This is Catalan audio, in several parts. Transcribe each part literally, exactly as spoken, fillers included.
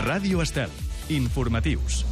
Ràdio Estel. Informatius.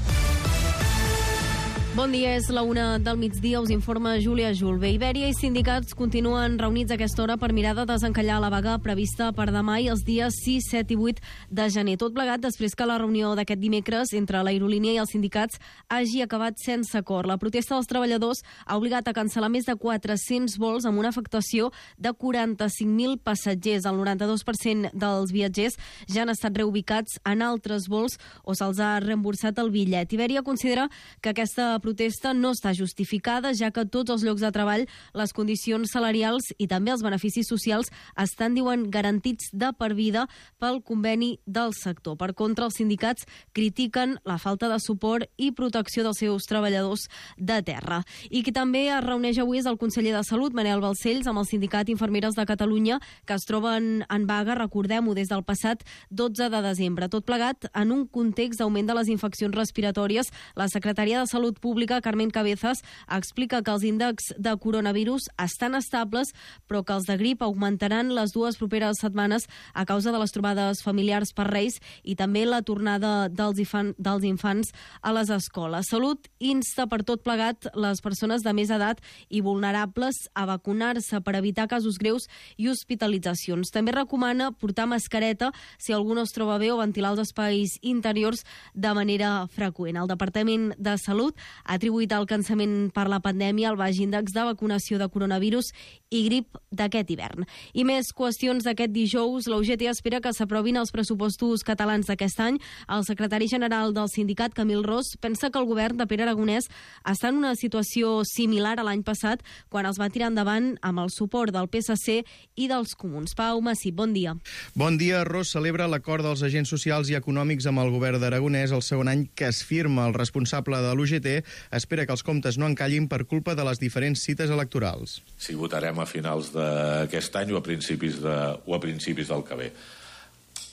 Bon dia, és la una del migdia, us informa Júlia Julve. Ibèria i sindicats continuen reunits a aquesta hora per mirar de desencallar la vaga prevista per demà i els dies sis, set i vuit de gener. Tot plegat després que la reunió d'aquest dimecres entre l'aerolínia i els sindicats hagi acabat sense acord. La protesta dels treballadors ha obligat a cancel·lar més de quatre-cents vols amb una afectació de quaranta-cinc mil passatgers. El noranta-dos per cent dels viatgers ja han estat reubicats en altres vols o se'ls ha reemborsat el bitllet. Ibèria considera que aquesta protesta no està justificada, ja que tots els llocs de treball, les condicions salarials i també els beneficis socials estan, diuen, garantits de per vida pel conveni del sector. Per contra, els sindicats critiquen la falta de suport i protecció dels seus treballadors de terra. I qui també es reuneix avui és el conseller de Salut, Manel Balcells, amb el sindicat Infermeres de Catalunya, que es troben en vaga, recordem-ho, des del passat dotze de desembre. Tot plegat en un context d'augment de les infeccions respiratòries. La secretària de Salut Pública, Carmen Cabezas, explica que els índexs de coronavirus estan estables, però que els de grip augmentaran les dues properes setmanes a causa de les trobades familiars per Reis i també la tornada dels, infan, dels infants a les escoles. Salut insta per tot plegat les persones de més edat i vulnerables a vacunar-se per evitar casos greus i hospitalitzacions. També recomana portar mascareta si algú no es troba bé o ventilar els espais interiors de manera freqüent. El Departament de Salut ha atribuït el cansament per la pandèmia al baix índex de vacunació de coronavirus i grip d'aquest hivern. I més qüestions d'aquest dijous. La U G T espera que s'aprovin els pressupostos catalans d'aquest any. El secretari general del sindicat, Camil Ros, pensa que el govern de Pere Aragonès està en una situació similar a l'any passat, quan els va tirar endavant amb el suport del P S C i dels Comuns. Pau Massip, bon dia. Bon dia. Ros celebra l'acord dels agents socials i econòmics amb el govern d'Aragonès el segon any que es firma. El responsable de l'U G T espera que els comptes no encallin per culpa de les diferents cites electorals. Si votarem a finals d'aquest any o a principis, de, o a principis del que ve.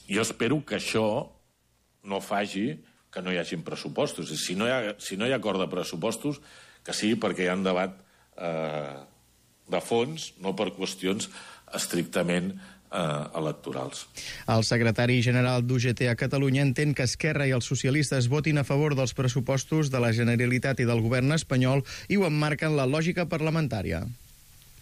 Jo espero que això no faci que no hi hagin pressupostos. Si no hi ha, si no hi ha acord de pressupostos, que sigui perquè hi ha un debat eh, de fons, no per qüestions estrictament electorals. El secretari general d'U G T a Catalunya entén que Esquerra i els socialistes votin a favor dels pressupostos de la Generalitat i del govern espanyol i ho emmarquen la lògica parlamentària.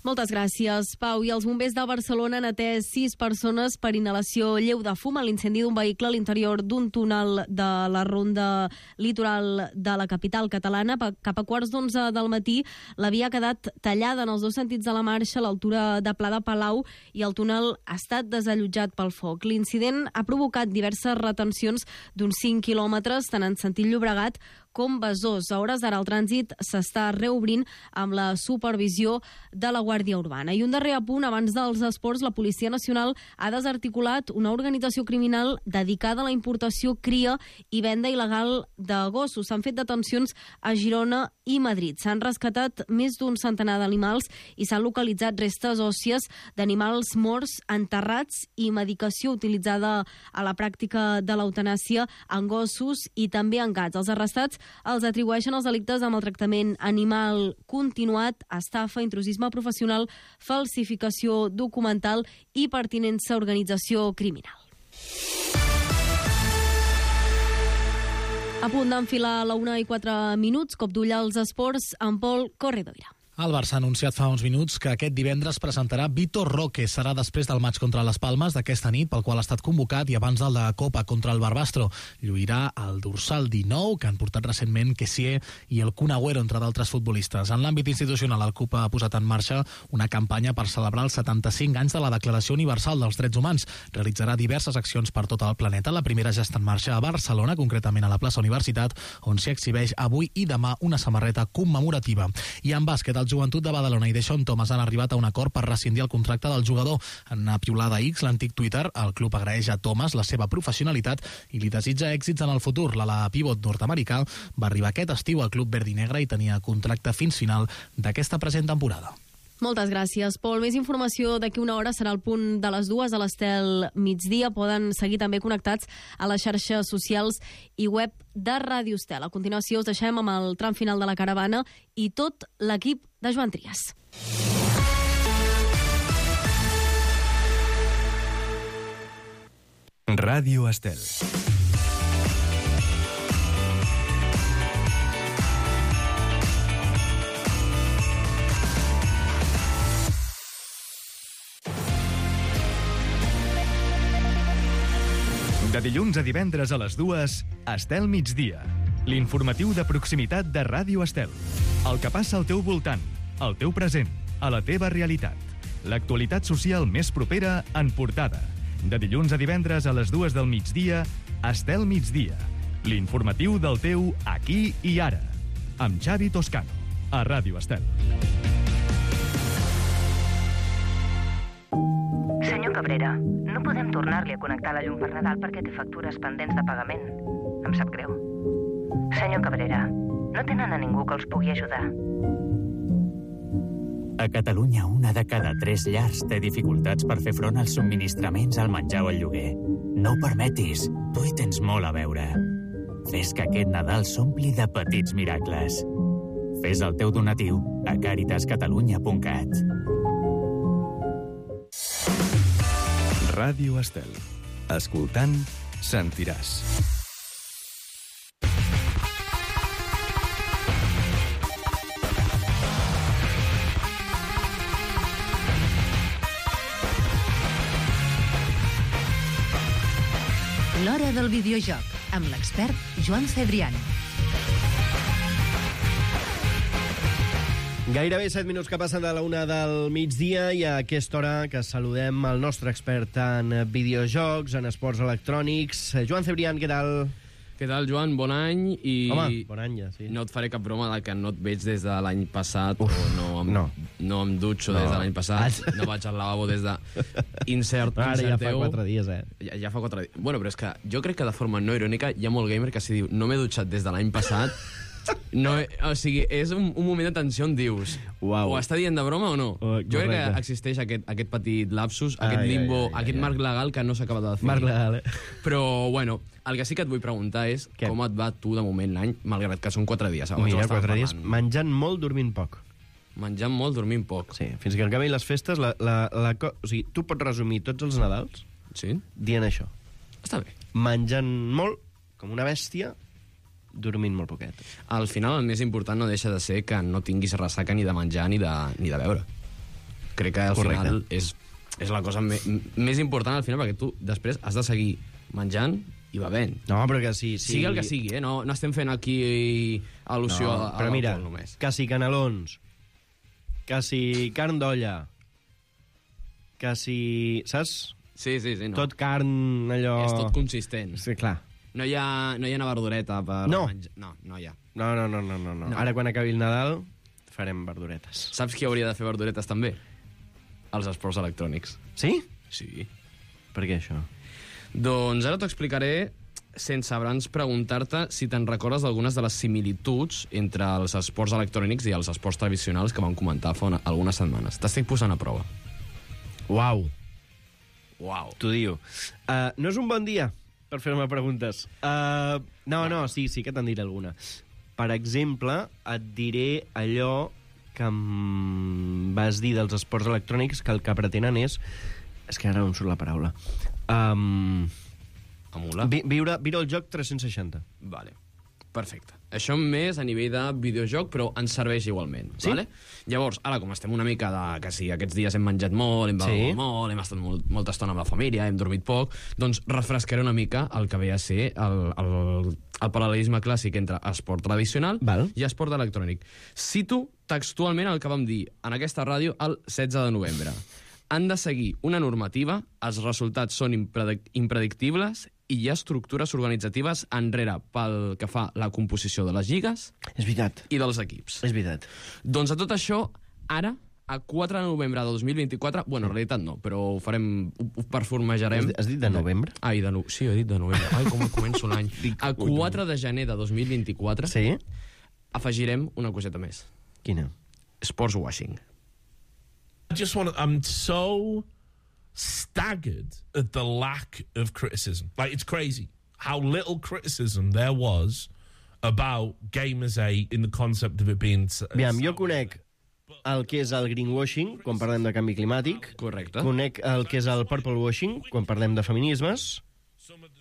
Moltes gràcies, Pau. I els bombers de Barcelona han atès sis persones per inhalació lleu de fum a l'incendi d'un vehicle a l'interior d'un túnel de la ronda litoral de la capital catalana. Cap a quarts d'onze del matí, la via ha quedat tallada en els dos sentits de la marxa a l'altura de Pla de Palau i el túnel ha estat desallotjat pel foc. L'incident ha provocat diverses retencions d'uns cinc quilòmetres, tant en sentit Llobregat com Besòs. A hores d'ara el trànsit s'està reobrint amb la supervisió de la Guàrdia Urbana. I un darrer apunt, abans dels esports, la Policia Nacional ha desarticulat una organització criminal dedicada a la importació, cria i venda il·legal de gossos. S'han fet detencions a Girona i Madrid. S'han rescatat més d'un centenar d'animals i s'han localitzat restes òssies d'animals morts, enterrats i medicació utilitzada a la pràctica de l'eutanàsia en gossos i també en gats. Els arrestats els atribueixen els delictes de maltractament animal continuat, estafa, intrusisme professional, falsificació documental i pertinença a organització criminal. A punt d'enfilar la una i quatre minuts, cop d'ull als esports amb Pol Corredoira. El Barça ha anunciat fa uns minuts que aquest divendres presentarà Vitor Roque. Serà després del maig contra les Palmes d'aquesta nit, pel qual ha estat convocat, i abans del de Copa contra el Barbastro. Lluirà el dorsal dinou, que han portat recentment Kessié i el Kun Agüero, entre d'altres futbolistes. En l'àmbit institucional, el CUP ha posat en marxa una campanya per celebrar els setanta-cinc anys de la Declaració Universal dels Drets Humans. Realitzarà diverses accions per tot el planeta. La primera ja està en marxa a Barcelona, concretament a la plaça Universitat, on s'hi exhibeix avui i demà una samarreta commemorativa. I en bàsquet, el Joventut de Badalona i Deschon Thomas han arribat a un acord per rescindir el contracte del jugador. En una piulada X, l'antic Twitter, el club agraeix a Thomas la seva professionalitat i li desitja èxits en el futur. L'ala pivot nord-americà va arribar aquest estiu al club verd i negre i tenia contracte fins final d'aquesta present temporada. Moltes gràcies, Pol. Més informació d'aquí una hora serà el punt de les dues a l'Estel migdia. Poden seguir també connectats a les xarxes socials i web de Ràdio Estel. A continuació us deixem amb el tram final de la caravana i tot l'equip de Joan Trias. Ràdio Estel. De dilluns a divendres a les dues, Estel migdia. L'informatiu de proximitat de Ràdio Estel. El que passa al teu voltant, al teu present, a la teva realitat. L'actualitat social més propera en portada. De dilluns a divendres a les dues del migdia, Estel migdia. L'informatiu del teu aquí i ara. Amb Xavi Toscano, a Ràdio Estel. Senyor Cabrera, no podem tornar-li a connectar la llum per Nadal perquè té factures pendents de pagament. Em sap greu. Senyor Cabrera, no tenen a ningú que els pugui ajudar. A Catalunya, una de cada tres llars té dificultats per fer front als subministraments, al menjar o al lloguer. No ho permetis, tu hi tens molt a veure. Fes que aquest Nadal s'ompli de petits miracles. Fes el teu donatiu a caritas catalunya punt cat. Ràdio Estel. Escoltant, sentiràs. L'hora del videojoc, amb l'expert Joan Cebrián. Gairebé set minuts que passen de la una del migdia i a aquesta hora que saludem el nostre expert en videojocs, en esports electrònics. Joan Cebrián, què tal? Què tal, Joan? Bon any. I Home, bon any ja, sí. No et faré cap broma de que no et veig des de l'any passat. Uf, o no em, no. no em dutxo No. des de l'any passat. No vaig al lavabo des de... Insert, Ara ja fa inserteu. quatre dies, eh? Ja, ja fa quatre dies. Bueno, però és que jo crec que de forma no irònica hi ha molt gamer que si diu no m'he dutxat des de l'any passat. No, o sigui, és un, un moment de tensió on dius Uau. o està dient de broma o no. Oh, jo crec que correcte. existeix aquest, aquest petit lapsus, Ai, aquest ai, limbo, ai, ai, aquest ai. marc legal que no s'ha acabat de definir. Marc legal, eh? Però, bueno, el que sí que et vull preguntar és Què? com et va tu de moment l'any, malgrat que són quatre dies. Abans ho Mira, estàvem quatre dies, parlant. menjant molt, dormint poc. Menjant molt, dormint poc. Sí, fins que acabin les festes, la, la, la, co- o sigui, tu pots resumir tots els Nadals Sí? dient això. Està bé. Menjant molt, com una bèstia, dormint molt poquet. Al final el més important no deixa de ser que no tinguis ressaca ni de menjar ni de, ni de beure. Crec que al Correcte. final és, és la cosa me, més important al final, perquè tu després has de seguir menjant i bevent. No, però que sí... sí. Sigui el que sigui, eh? No, no estem fent aquí al·lusió No, a, a però mira, l'alcohol només. que si canelons, que si carn d'olla, que si... Saps? Sí, sí, sí. No. Tot carn, allò... És tot consistent. Sí, clar. No hi ha, no hi ha una verdureta per No. menjar. No, no hi ha. No, no, no, no, no, no. No. Ara, quan acabi el Nadal, farem verduretes. Saps qui hauria de fer verduretes també? Els esports electrònics. Sí? Sí. Per què, això? Doncs ara t'ho explicaré sense abans preguntar-te si te'n recordes d'algunes de les similituds entre els esports electrònics i els esports tradicionals que vam comentar fa una, algunes setmanes. T'estic posant a prova. Uau. Uau. T'ho diu. Uh, no és un bon dia per fer-me preguntes. Uh, no, no, sí, sí que te'n diré alguna. Per exemple, et diré allò que em vas dir dels esports electrònics, que el que pretenen és... És que ara no em surt la paraula. Um, Emular? vi viure, viure el joc tres-cents seixanta. Vale. Perfecte. Això més a nivell de videojoc, però ens serveix igualment. Sí? Vale? Llavors, ara, com estem una mica de... que sí, aquests dies hem menjat molt, hem begut Sí. molt, hem estat molt, molta estona amb la família, hem dormit poc, doncs refrescaré una mica el que ve a ser el, el, el paral·lelisme clàssic entre esport tradicional Val. i esport electrònic. Cito textualment el que vam dir en aquesta ràdio el setze de novembre. Han de seguir una normativa, els resultats són impredic impredictibles i hi ha estructures organitzatives enrere pel que fa la composició de les lligues És veritat. i dels equips. És veritat. Doncs a tot això, ara, a quatre de novembre de dos mil vint-i-quatre, bueno, en realitat no, però ho farem, ho, ho performejarem. Has, has dit de novembre? Ai, de no... Sí, he dit de novembre. Ai, com començo l'any. A quatre de gener de dos mil vint-i-quatre Sí? afegirem una coseta més. Quina? Sports washing. I just want to, I'm so staggered at the lack of criticism. Like, it's crazy how little criticism there was about Gamers eight in the concept of it being... Aviam, jo conec el que és el greenwashing, quan parlem de canvi climàtic. Correcte. Conec el que és el purple washing, quan parlem de feminismes.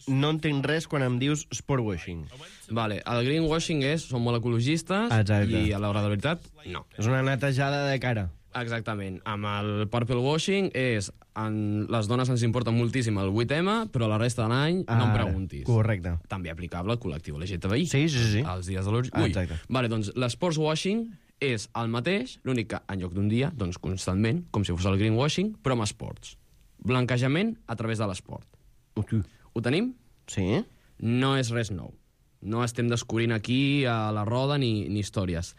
No entenc res quan em dius sport washing. Vale, el greenwashing és, som molt ecologistes, Exacte. i a l'hora de la veritat, no. És una netejada de cara. Exactament. Amb el purple washing és... En, les dones ens importa moltíssim el vuit eme, però la resta de l'any ah, no em preguntis. Correcte. També aplicable al col·lectiu L G T B I. Sí, sí, sí. Els dies de l'orgull. Ah, exacte. Vale, doncs l'esports washing és el mateix, l'únic que en lloc d'un dia, doncs constantment, com si fos el greenwashing, però amb esports. Blanquejament a través de l'esport. Uh, Ho tenim? Sí. No és res nou. No estem descobrint aquí a la roda ni, ni històries.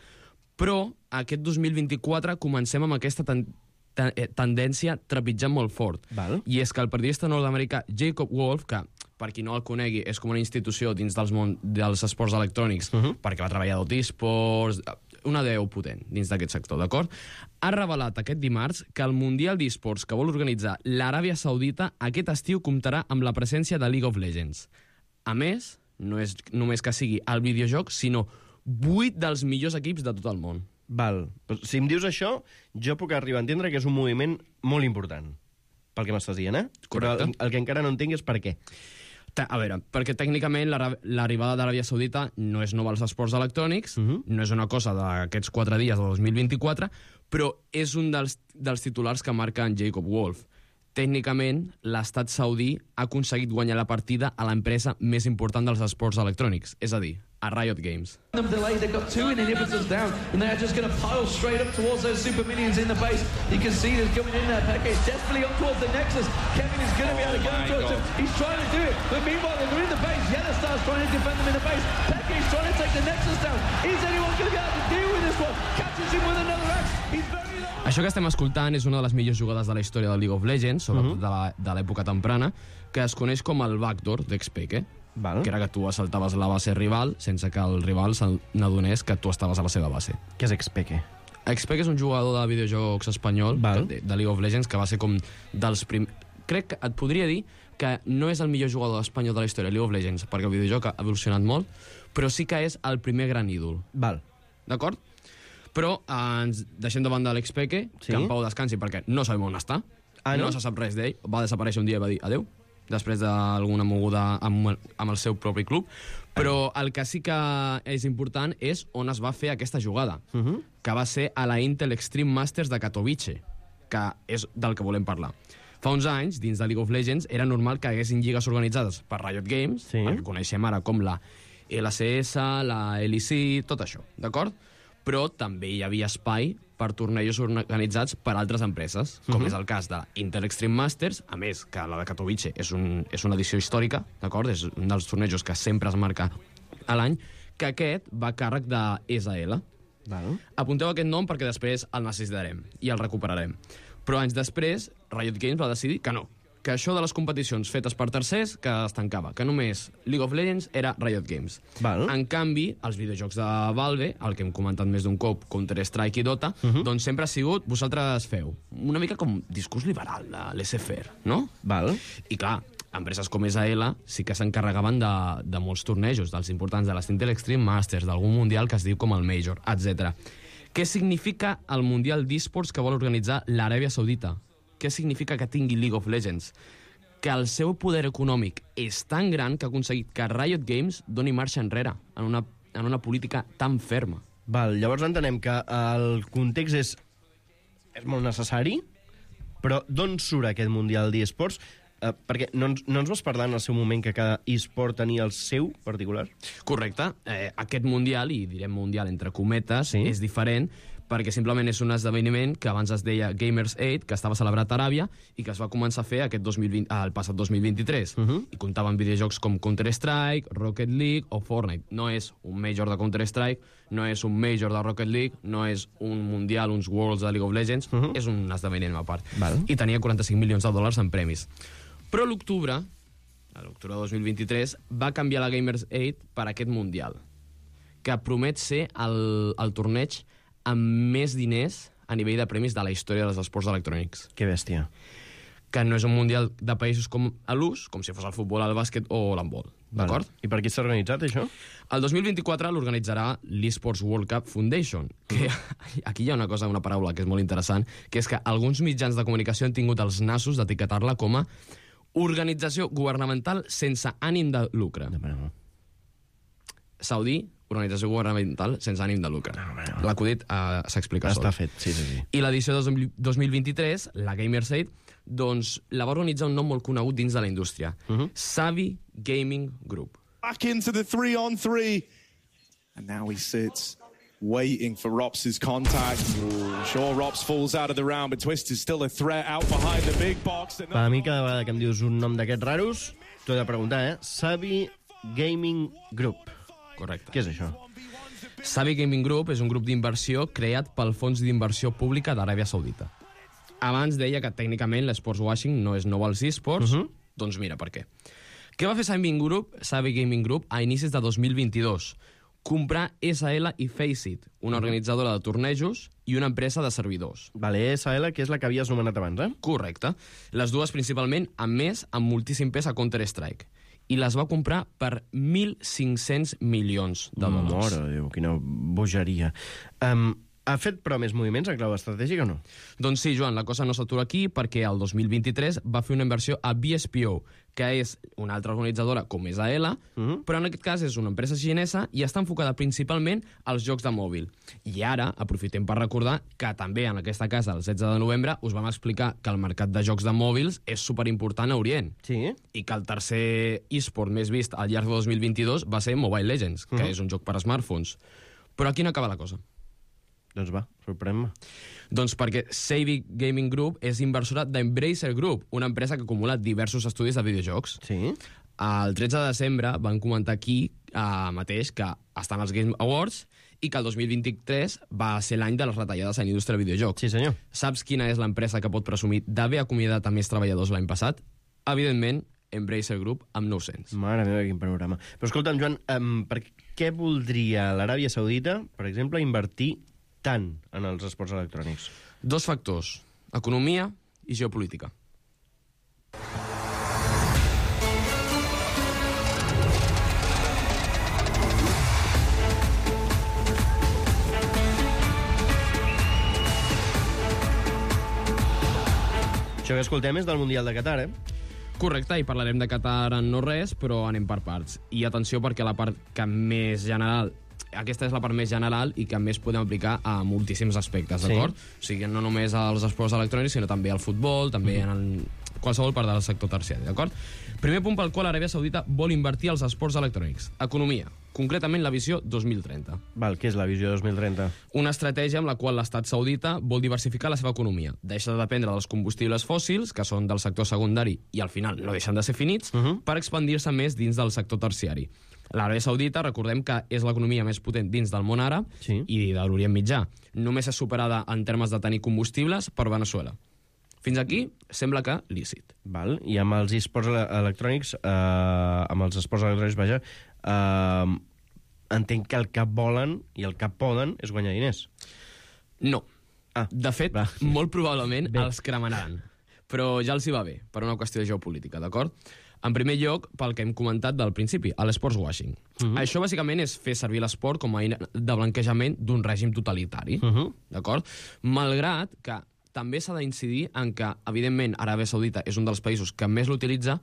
Però aquest dos mil vint-i-quatre comencem amb aquesta ten ten tendència trepitjant molt fort. Val. I és que el periodista nord-americà Jacob Wolf, que per qui no el conegui és com una institució dins dels, món, dels esports electrònics, uh -huh. perquè va treballar d'Otisports, una deu potent dins d'aquest sector, d'acord? Ha revelat aquest dimarts que el Mundial d'Esports que vol organitzar l'Aràbia Saudita aquest estiu comptarà amb la presència de League of Legends. A més, no és només que sigui el videojoc, sinó vuit dels millors equips de tot el món. Val. Pues, si em dius això, jo puc arribar a entendre que és un moviment molt important. Pel que m'estàs dient, eh? Correcte. Però el, el que encara no entenc és per què. A veure, perquè tècnicament l'arribada d'Aràbia Saudita no és nova als esports electrònics, uh -huh. no és una cosa d'aquests quatre dies de dos mil vint-i-quatre, però és un dels, dels titulars que marca en Jacob Wolf. Tècnicament, l'estat saudí ha aconseguit guanyar la partida a l'empresa més important dels esports electrònics, és a dir, a Riot Games. Them delayed, they've got two inhibitors down, and they're just going to pile straight up towards those super minions in the base. You can see there's coming in there, Peke is desperately up towards the Nexus. Kevin is going to be able to get oh towards him. He's trying to do it, but meanwhile they're in the base. Yellowstar's trying to defend them in the base. Peke is trying to take the Nexus down. Is anyone going to be able to deal with this one? Catches him with another axe. He's very low. Això que estem escoltant és una de les millors jugades de la història del League of Legends, sobretot uh -huh. de l'època temprana, que es coneix com el backdoor d'Xpeke. Val. Que era que tu assaltaves la base rival sense que el rival n'adonés que tu estaves a la seva base. Què és Xpeke? Xpeke és un jugador de videojocs espanyol de, de League of Legends que va ser com dels primers... Crec que et podria dir que no és el millor jugador espanyol de la història de League of Legends, perquè el videojoc ha evolucionat molt, però sí que és el primer gran ídol. Val. D'acord? Però eh, ens deixem de banda l'Xpeke, sí? Que en pau descansi perquè no sabem on està, ah, no? no se sap res d'ell, va desaparèixer un dia i va dir adeu, després d'alguna moguda amb, amb el seu propi club, però el que sí que és important és on es va fer aquesta jugada, uh -huh. que va ser a la Intel Extreme Masters de Katowice, que és del que volem parlar. Fa uns anys, dins de League of Legends, era normal que haguessin lligues organitzades per Riot Games, sí. el que coneixem ara com la L C S, la L E C, tot això, d'acord? Però també hi havia espai per tornejos organitzats per altres empreses, com uh -huh. és el cas de Intel Extreme Masters, a més que la de Katowice és, un, és una edició històrica, d'acord? És un dels tornejos que sempre es marca a l'any, que aquest va a càrrec de E S A L. Val. Apunteu aquest nom perquè després el necessitarem i el recuperarem. Però anys després, Riot Games va decidir que no, que això de les competicions fetes per tercers que es tancava, que només League of Legends era Riot Games. Val. En canvi, els videojocs de Valve, el que hem comentat més d'un cop, Counter-Strike i Dota, uh -huh. doncs sempre ha sigut, vosaltres feu, una mica com discurs liberal de laissez-faire, no? Val. I clar, empreses com E S A L sí que s'encarregaven de, de molts tornejos, dels importants, de les Intel Extreme Masters, d'algun mundial que es diu com el Major, etcètera. Què significa el Mundial d'Esports que vol organitzar l'Aràbia Saudita? Què significa que tingui League of Legends? Que el seu poder econòmic és tan gran que ha aconseguit que Riot Games doni marxa enrere en una, en una política tan ferma. Val, llavors entenem que el context és, és molt necessari, però d'on surt aquest Mundial d'eSports? Uh, perquè no ens, no ens vas parlar en el seu moment que cada eSport tenia el seu particular? Correcte. Eh, aquest Mundial, i direm Mundial entre cometes, sí? És diferent perquè simplement és un esdeveniment que abans es deia Gamers Eight, que estava celebrat a Aràbia i que es va començar a fer aquest dos mil vint, ah, el passat dos mil vint-i-tres. Uh -huh. I comptava amb videojocs com Counter-Strike, Rocket League o Fortnite. No és un Major de Counter-Strike, no és un Major de Rocket League, no és un Mundial, uns Worlds de League of Legends, uh -huh. és un esdeveniment a part. Val. I tenia quaranta-cinc milions de dòlars en premis. Però a l'octubre, a l'octubre de dos mil vint-i-tres, va canviar la Gamers Eight per aquest Mundial, que promet ser el, el torneig amb més diners a nivell de premis de la història dels esports electrònics. Que bèstia. Que no és un mundial de països com a l'ús, com si fos el futbol, el bàsquet o l'handbol. D'acord? Vale. I per qui s'ha organitzat, això? El dos mil vint-i-quatre l'organitzarà l'eSports World Cup Foundation, que aquí hi ha una cosa, una paraula que és molt interessant, que és que alguns mitjans de comunicació han tingut els nassos d'etiquetar-la com a organització governamental sense ànim de lucre. De Saudí, organització governamental sense ànim de lucre. No, no. L'acudit uh, s'explica sol. Està fet, sí, sí, sí. I l'edició de dos mil vint-i-tres, la Gamerside, doncs la va organitzar un nom molt conegut dins de la indústria. Uh-huh. Savvy Gaming Group. Back into the three on three. And now he sits, waiting for Rops's contact. Ooh, sure, Rops falls out of the round, but Twist is still a threat out behind the big box. Per a mi, cada vegada que em dius un nom d'aquests raros, t'ho he de preguntar, eh? Savvy Gaming Group. Correcte. Què és això? Savvy Gaming Group és un grup d'inversió creat pel Fons d'Inversió Pública d'Aràbia Saudita. Abans deia que tècnicament l'esports washing no és nou als esports, uh-huh. Doncs mira per què. Què va fer Savvy Group, Savvy Gaming Group a inicis de dos mil vint-i-dos? Comprar S L i Faceit, una organitzadora de tornejos i una empresa de servidors. Vale, S L, que és la que havies nomenat abans, eh? Correcte. Les dues principalment, amb més, amb moltíssim pes a Counter-Strike. I les va comprar per mil cinc-cents milions de dòlars. Mare de Déu, quina bogeria. Um, ha fet, però, més moviments en clau estratègica o no? Doncs sí, Joan, la cosa no s'atura aquí perquè el dos mil vint-i-tres va fer una inversió a B S P O, que és una altra organitzadora com és A L, uh-huh. Però en aquest cas és una empresa xinesa i està enfocada principalment als jocs de mòbil. I ara aprofitem per recordar que també en aquesta casa, el setze de novembre, us vam explicar que el mercat de jocs de mòbils és superimportant a Orient. Sí. I que el tercer esport més vist al llarg de dos mil vint-i-dos va ser Mobile Legends, que uh-huh. és un joc per a smartphones. Però aquí no acaba la cosa. Doncs va, sorprèn-me. Doncs perquè Savvy Gaming Group és inversora d'Embracer Group, una empresa que acumula diversos estudis de videojocs. Sí. El tretze de desembre van comentar aquí eh, mateix que estan els Game Awards i que el dos mil vint-i-tres va ser l'any de les retallades en la indústria de videojocs. Sí, senyor. Saps quina és l'empresa que pot presumir d'haver acomiadat a més treballadors l'any passat? Evidentment, Embracer Group amb nou-cents. Mare meva, quin panorama. Però escolta'm, Joan, um, per què voldria l'Aràbia Saudita, per exemple, invertir tant en els esports electrònics? Dos factors, economia i geopolítica. Això que escoltem és del Mundial de Qatar, eh? Correcte, i parlarem de Qatar en no res, però anem per parts. I atenció, perquè la part que més general... Aquesta és la part més general i que més podem aplicar a moltíssims aspectes, d'acord? Sí. O sigui, no només als esports electrònics, sinó també al futbol, també mm. en el... qualsevol part del sector terciari, d'acord? Primer punt pel qual l'Aràbia Saudita vol invertir als esports electrònics. Economia. Concretament la visió dos mil trenta. Val, què és la visió dos mil trenta? Una estratègia amb la qual l'estat saudita vol diversificar la seva economia. Deixa de dependre dels combustibles fòssils, que són del sector secundari i al final no deixen de ser finits, uh -huh. per expandir-se més dins del sector terciari. L'Aràbia Saudita, recordem que és l'economia més potent dins del món àrab sí. i de l'Orient Mitjà. Només és superada en termes de tenir combustibles per Venezuela. Fins aquí sembla que lícit. Val. I amb els esports electrònics, eh, amb els esports electrònics, vaja, eh, entenc que el que volen i el que poden és guanyar diners. No. Ah, de fet, va. molt probablement bé. Els cremaran. Però ja els hi va bé, per una qüestió de geopolítica, d'acord? En primer lloc, pel que hem comentat del principi, a l'esports washing. Uh -huh. Això, bàsicament, és fer servir l'esport com a eina de blanquejament d'un règim totalitari, uh -huh. d'acord? Malgrat que també s'ha d'incidir en que, evidentment, Aràbia Saudita és un dels països que més l'utilitza,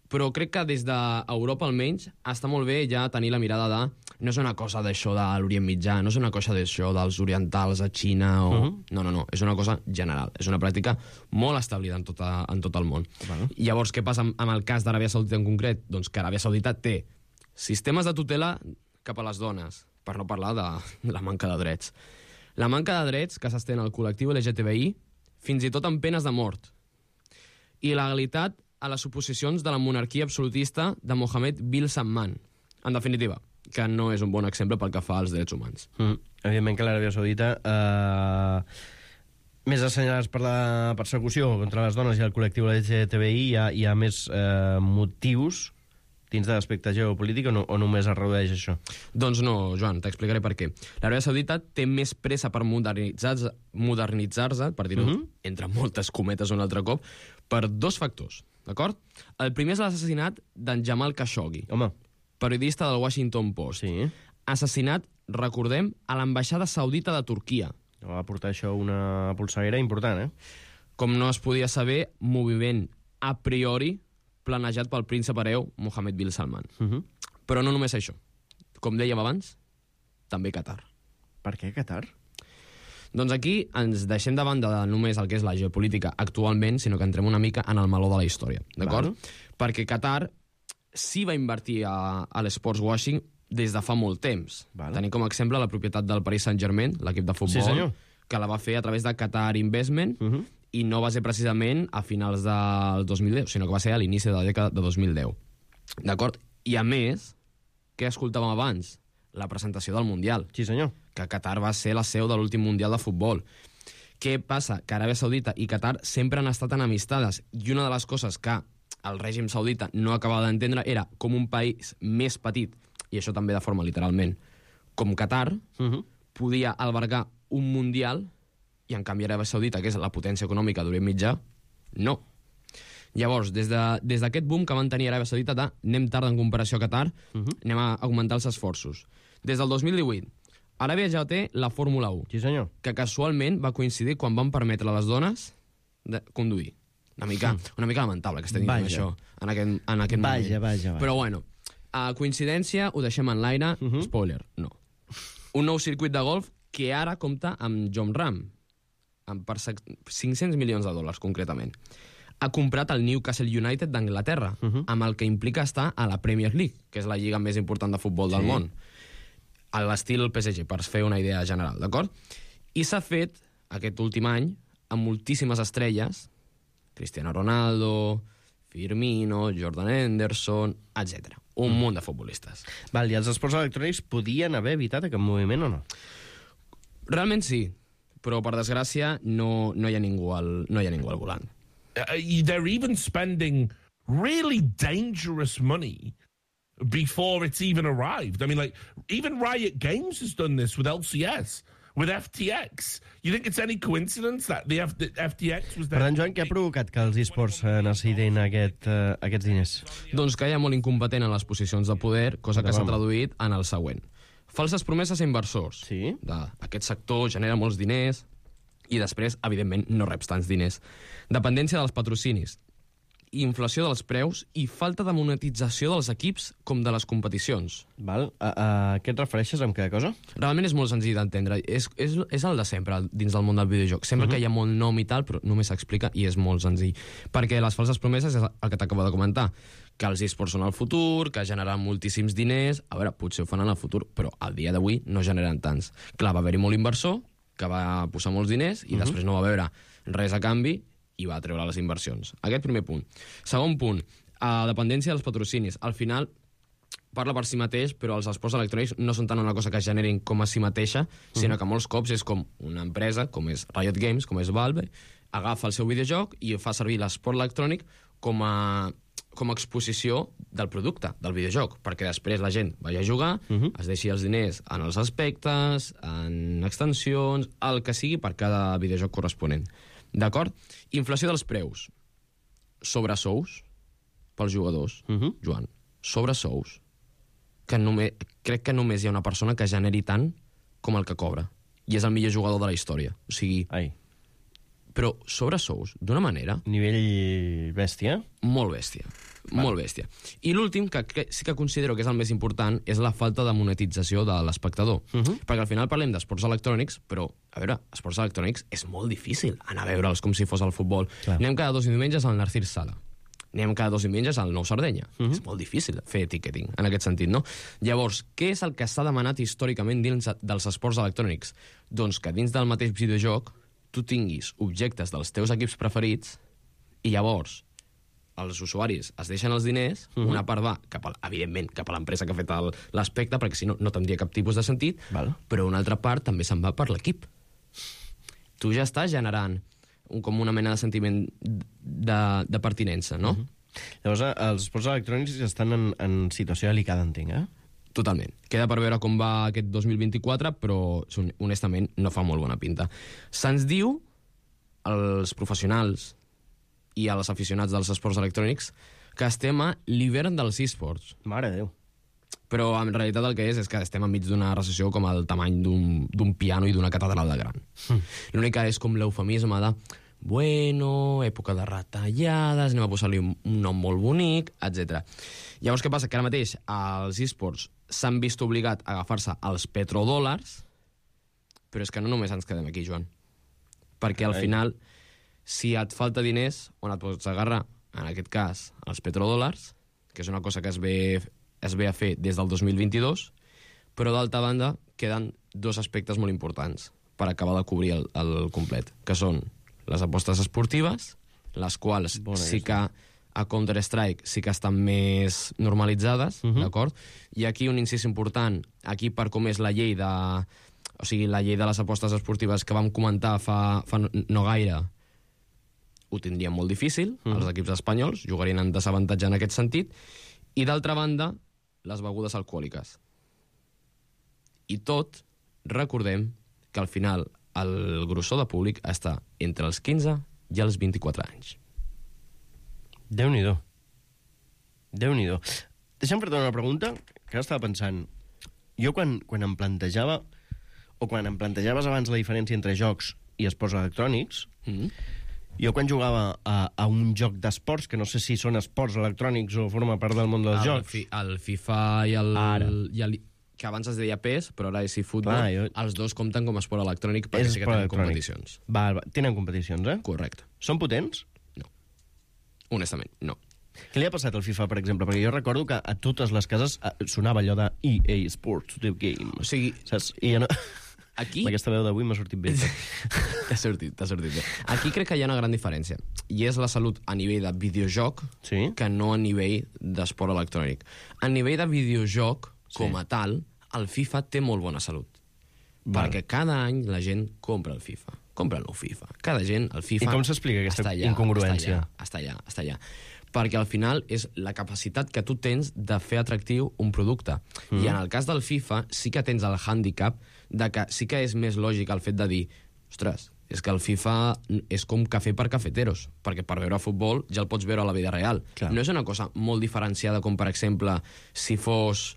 però crec que des d'Europa, almenys, està molt bé ja tenir la mirada de... No és una cosa d'això de l'Orient Mitjà, no és una cosa d'això dels orientals a Xina o... Uh-huh. No, no, no, és una cosa general. És una pràctica molt establida en, tota, en tot el món. Uh-huh. Llavors, què passa amb, amb el cas d'Aràbia Saudita en concret? Doncs que Aràbia Saudita té sistemes de tutela cap a les dones, per no parlar de la manca de drets. La manca de drets que s'estén al col·lectiu L G T B I, fins i tot amb penes de mort. I legalitat a les oposicions de la monarquia absolutista de Mohammed bin Salman. En definitiva, que no és un bon exemple pel que fa als drets humans. Mm. Evidentment que l'Aràbia Saudita, eh, més assenyalats per la persecució contra les dones i el col·lectiu L G T B I, hi ha, hi ha més eh, motius dins de l'aspecte geopolític o, no, o només es redueix això? Doncs no, Joan, t'explicaré per què. L'Aràbia Saudita té més pressa per modernitzar-se, modernitzar-se per dir-ho, mm-hmm. entre moltes cometes un altre cop, per dos factors, d'acord? El primer és l'assassinat d'en Jamal Khashoggi, home, periodista del Washington Post. Sí. Assassinat, recordem, a l'ambaixada saudita de Turquia. Va portar això una polseguera important, eh? Com no es podia saber, moviment a priori planejat pel príncep hereu Mohammed bin Salman. Uh-huh. Però no només això. Com dèiem abans, també Qatar. Per què Qatar? Doncs aquí ens deixem de banda de només el que és la geopolítica actualment, sinó que entrem una mica en el meló de la història, d'acord? Perquè Qatar sí va invertir a, a l'esports washing des de fa molt temps. Val. Tenim com a exemple la propietat del Paris Saint-Germain, l'equip de futbol, sí, que la va fer a través de Qatar Investment, uh -huh. i no va ser precisament a finals del dos mil deu, sinó que va ser a l'inici de la dècada de dos mil deu. D'acord? I a més, què escoltàvem abans? La presentació del Mundial. Sí, senyor. Que Qatar va ser la seu de l'últim Mundial de futbol. Què passa? Que Aràbia Saudita i Qatar sempre han estat enemistades, i una de les coses que el règim saudita no acabava d'entendre era com un país més petit, i això també de forma literalment, com Qatar, uh -huh. podia albergar un Mundial, i en canvi Aràbia Saudita, que és la potència econòmica d'Orient Mitjà, no. Llavors, des d'aquest de, des boom que van tenir Aràbia Saudita de anem tard en comparació a Qatar, uh -huh. anem a augmentar els esforços. Des del dos mil divuit, Aràbia ja té la Fórmula u, sí, senyor. Que casualment va coincidir quan van permetre a les dones de conduir. Una mica, una mica lamentable que estem dient això en aquest, en aquest vaja, moment. Vaja, vaja. Però bueno, a coincidència, ho deixem en l'aire. Uh -huh. Spoiler, no. Un nou circuit de golf que ara compta amb Jon Rahm, amb per cinc-cents milions de dòlars, concretament. Ha comprat el Newcastle United d'Anglaterra, uh -huh. amb el que implica estar a la Premier League, que és la lliga més important de futbol sí. del món. A l'estil P S G, per fer una idea general, d'acord? I s'ha fet, aquest últim any, amb moltíssimes estrelles, Cristiano Ronaldo, Firmino, Jordan Henderson, etcètera. Un mm. munt de futbolistes. Val, i els esports electrònics podien haver evitat aquest moviment o no? Realment sí, però per desgràcia no, no, hi, ha ningú al, no hi ha ningú al volant. Uh, they're even spending really dangerous money before it's even arrived. I mean, like, even Riot Games has done this with L C S, with F T X. You think it's any coincidence that the, F the F T X was there? Per tant, Joan, què ha provocat que els esports eh, necessitin aquest, eh, aquests diners? Doncs que hi ha molt incompetent en les posicions de poder, cosa que s'ha traduït en el següent. Falses promeses a inversors. Sí? De, aquest sector genera molts diners i després, evidentment, no reps tants diners. Dependència dels patrocinis, inflació dels preus i falta de monetització dels equips com de les competicions. Val. A, a què et refereixes amb cada cosa? Realment és molt senzill d'entendre. És, és, és el de sempre dins del món del videojoc. Sempre uh-huh. que hi ha molt nom i tal, però només s'explica i és molt senzill. Perquè les falses promeses és el que t'acabo de comentar. Que els esports són el futur, que generen moltíssims diners. A veure, potser ho fan en el futur, però al dia d'avui no generen tants. Clar, va haver-hi molt inversor, que va posar molts diners i uh-huh. després no va veure res a canvi i va treure les inversions. Aquest primer punt. Segon punt, a dependència dels patrocinis. Al final, parla per si mateix, però els esports electrònics no són tant una cosa que generin com a si mateixa, sinó que molts cops és com una empresa, com és Riot Games, com és Valve, agafa el seu videojoc i fa servir l'esport electrònic com a, com a exposició del producte, del videojoc, perquè després la gent vagi a jugar, uh -huh. es deixi els diners en els aspectes, en extensions, el que sigui per cada videojoc corresponent. D'acord? Inflació dels preus. Sobresous pels jugadors, uh -huh. Joan. Sobresous. Que només, crec que només hi ha una persona que generi tant com el que cobra. I és el millor jugador de la història. O sigui... Ai. Però sobresous, d'una manera... Nivell bèstia? Molt bèstia. Val. Molt bèstia. I l'últim, que, que sí que considero que és el més important, és la falta de monetització de l'espectador. Uh -huh. Perquè al final parlem d'esports electrònics, però, a veure, esports electrònics és molt difícil anar a veure'ls com si fos el futbol. Clar. Anem cada dos diumenges al Narcís Sala. Anem cada dos diumenges al Nou Sardenya. Uh -huh. És molt difícil fer ticketing, en aquest sentit, no? Llavors, què és el que s'ha demanat històricament dins dels esports electrònics? Doncs que dins del mateix videojoc tu tinguis objectes dels teus equips preferits i llavors els usuaris es deixen els diners, uh -huh. una part va, cap a, evidentment, cap a l'empresa que ha fet l'aspecte, perquè si no, no tindria cap tipus de sentit, Val. Però una altra part també se'n va per l'equip. Tu ja estàs generant un, com una mena de sentiment de, de pertinença, no? Uh -huh. Llavors, els esports electrònics estan en, en situació delicada, entenc, eh? Totalment. Queda per veure com va aquest dos mil vint-i-quatre, però, honestament, no fa molt bona pinta. Se'ns diu, als professionals i als aficionats dels esports electrònics, que estem a l'hivern dels esports. Mare de Déu. Però en realitat el que és és que estem enmig d'una recessió com el tamany d'un piano i d'una catedral de gran. Mm. L'únic que és com l'eufemisme de bueno, època de retallades, anem a posar-li un, un nom molt bonic, etcètera. Llavors, què passa? Que ara mateix els esports s'han vist obligat a agafar-se els petrodòlars, però és que no només ens quedem aquí, Joan. Perquè al final, si et falta diners, on et pots agarrar, en aquest cas, els petrodòlars, que és una cosa que es ve, es ve a fer des del dos mil vint-i-dos, però d'altra banda queden dos aspectes molt importants per acabar de cobrir el, el complet, que són les apostes esportives, les quals Bona sí que a Counter-Strike sí que estan més normalitzades, uh-huh. d'acord? I aquí un incís important, aquí per com és la llei de... O sigui, la llei de les apostes esportives que vam comentar fa, fa no gaire, ho tindrien molt difícil, uh-huh. els equips espanyols jugarien en desavantatge en aquest sentit, i d'altra banda, les begudes alcohòliques. I tot, recordem que al final el grossor de públic està entre els quinze i els vint-i-quatre anys. Déu-n'hi-do. Déu-n'hi-do. Deixa'm fer-te una pregunta que estava pensant. Jo quan, quan em plantejava, o quan em plantejaves abans la diferència entre jocs i esports electrònics, mm-hmm. jo quan jugava a, a un joc d'esports, que no sé si són esports electrònics o forma part del món dels el jocs... Fi, el FIFA i el, i el... que abans es deia P E S, però ara és eFootball, Clar, jo... els dos compten com a esport electrònic perquè és sí que tenen competicions. Va, va, tenen competicions, eh? Correcte. Són potents? No. Honestament, no. Què li ha passat al FIFA, per exemple? Perquè jo recordo que a totes les cases sonava allò de E A Sports The Game. O sigui... Saps? I jo no... Aquí... Aquesta veu d'avui m'ha sortit bé. T'ha sortit, t'ha sortit bé. Aquí crec que hi ha una gran diferència. I és la salut a nivell de videojoc sí? que no a nivell d'esport electrònic. A nivell de videojoc, com sí. a tal, el FIFA té molt bona salut. Val. Perquè cada any la gent compra el FIFA. Compra el nou FIFA. Cada gent, el FIFA... I com s'explica aquesta allà, incongruència? Està allà, està allà, està allà. Perquè al final és la capacitat que tu tens de fer atractiu un producte. Mm. I en el cas del FIFA sí que tens el hàndicap de que sí que és més lògic el fet de dir ostres, és que el FIFA és com cafè per cafeteros, perquè per veure futbol ja el pots veure a la vida real. Clar. No és una cosa molt diferenciada com, per exemple, si fos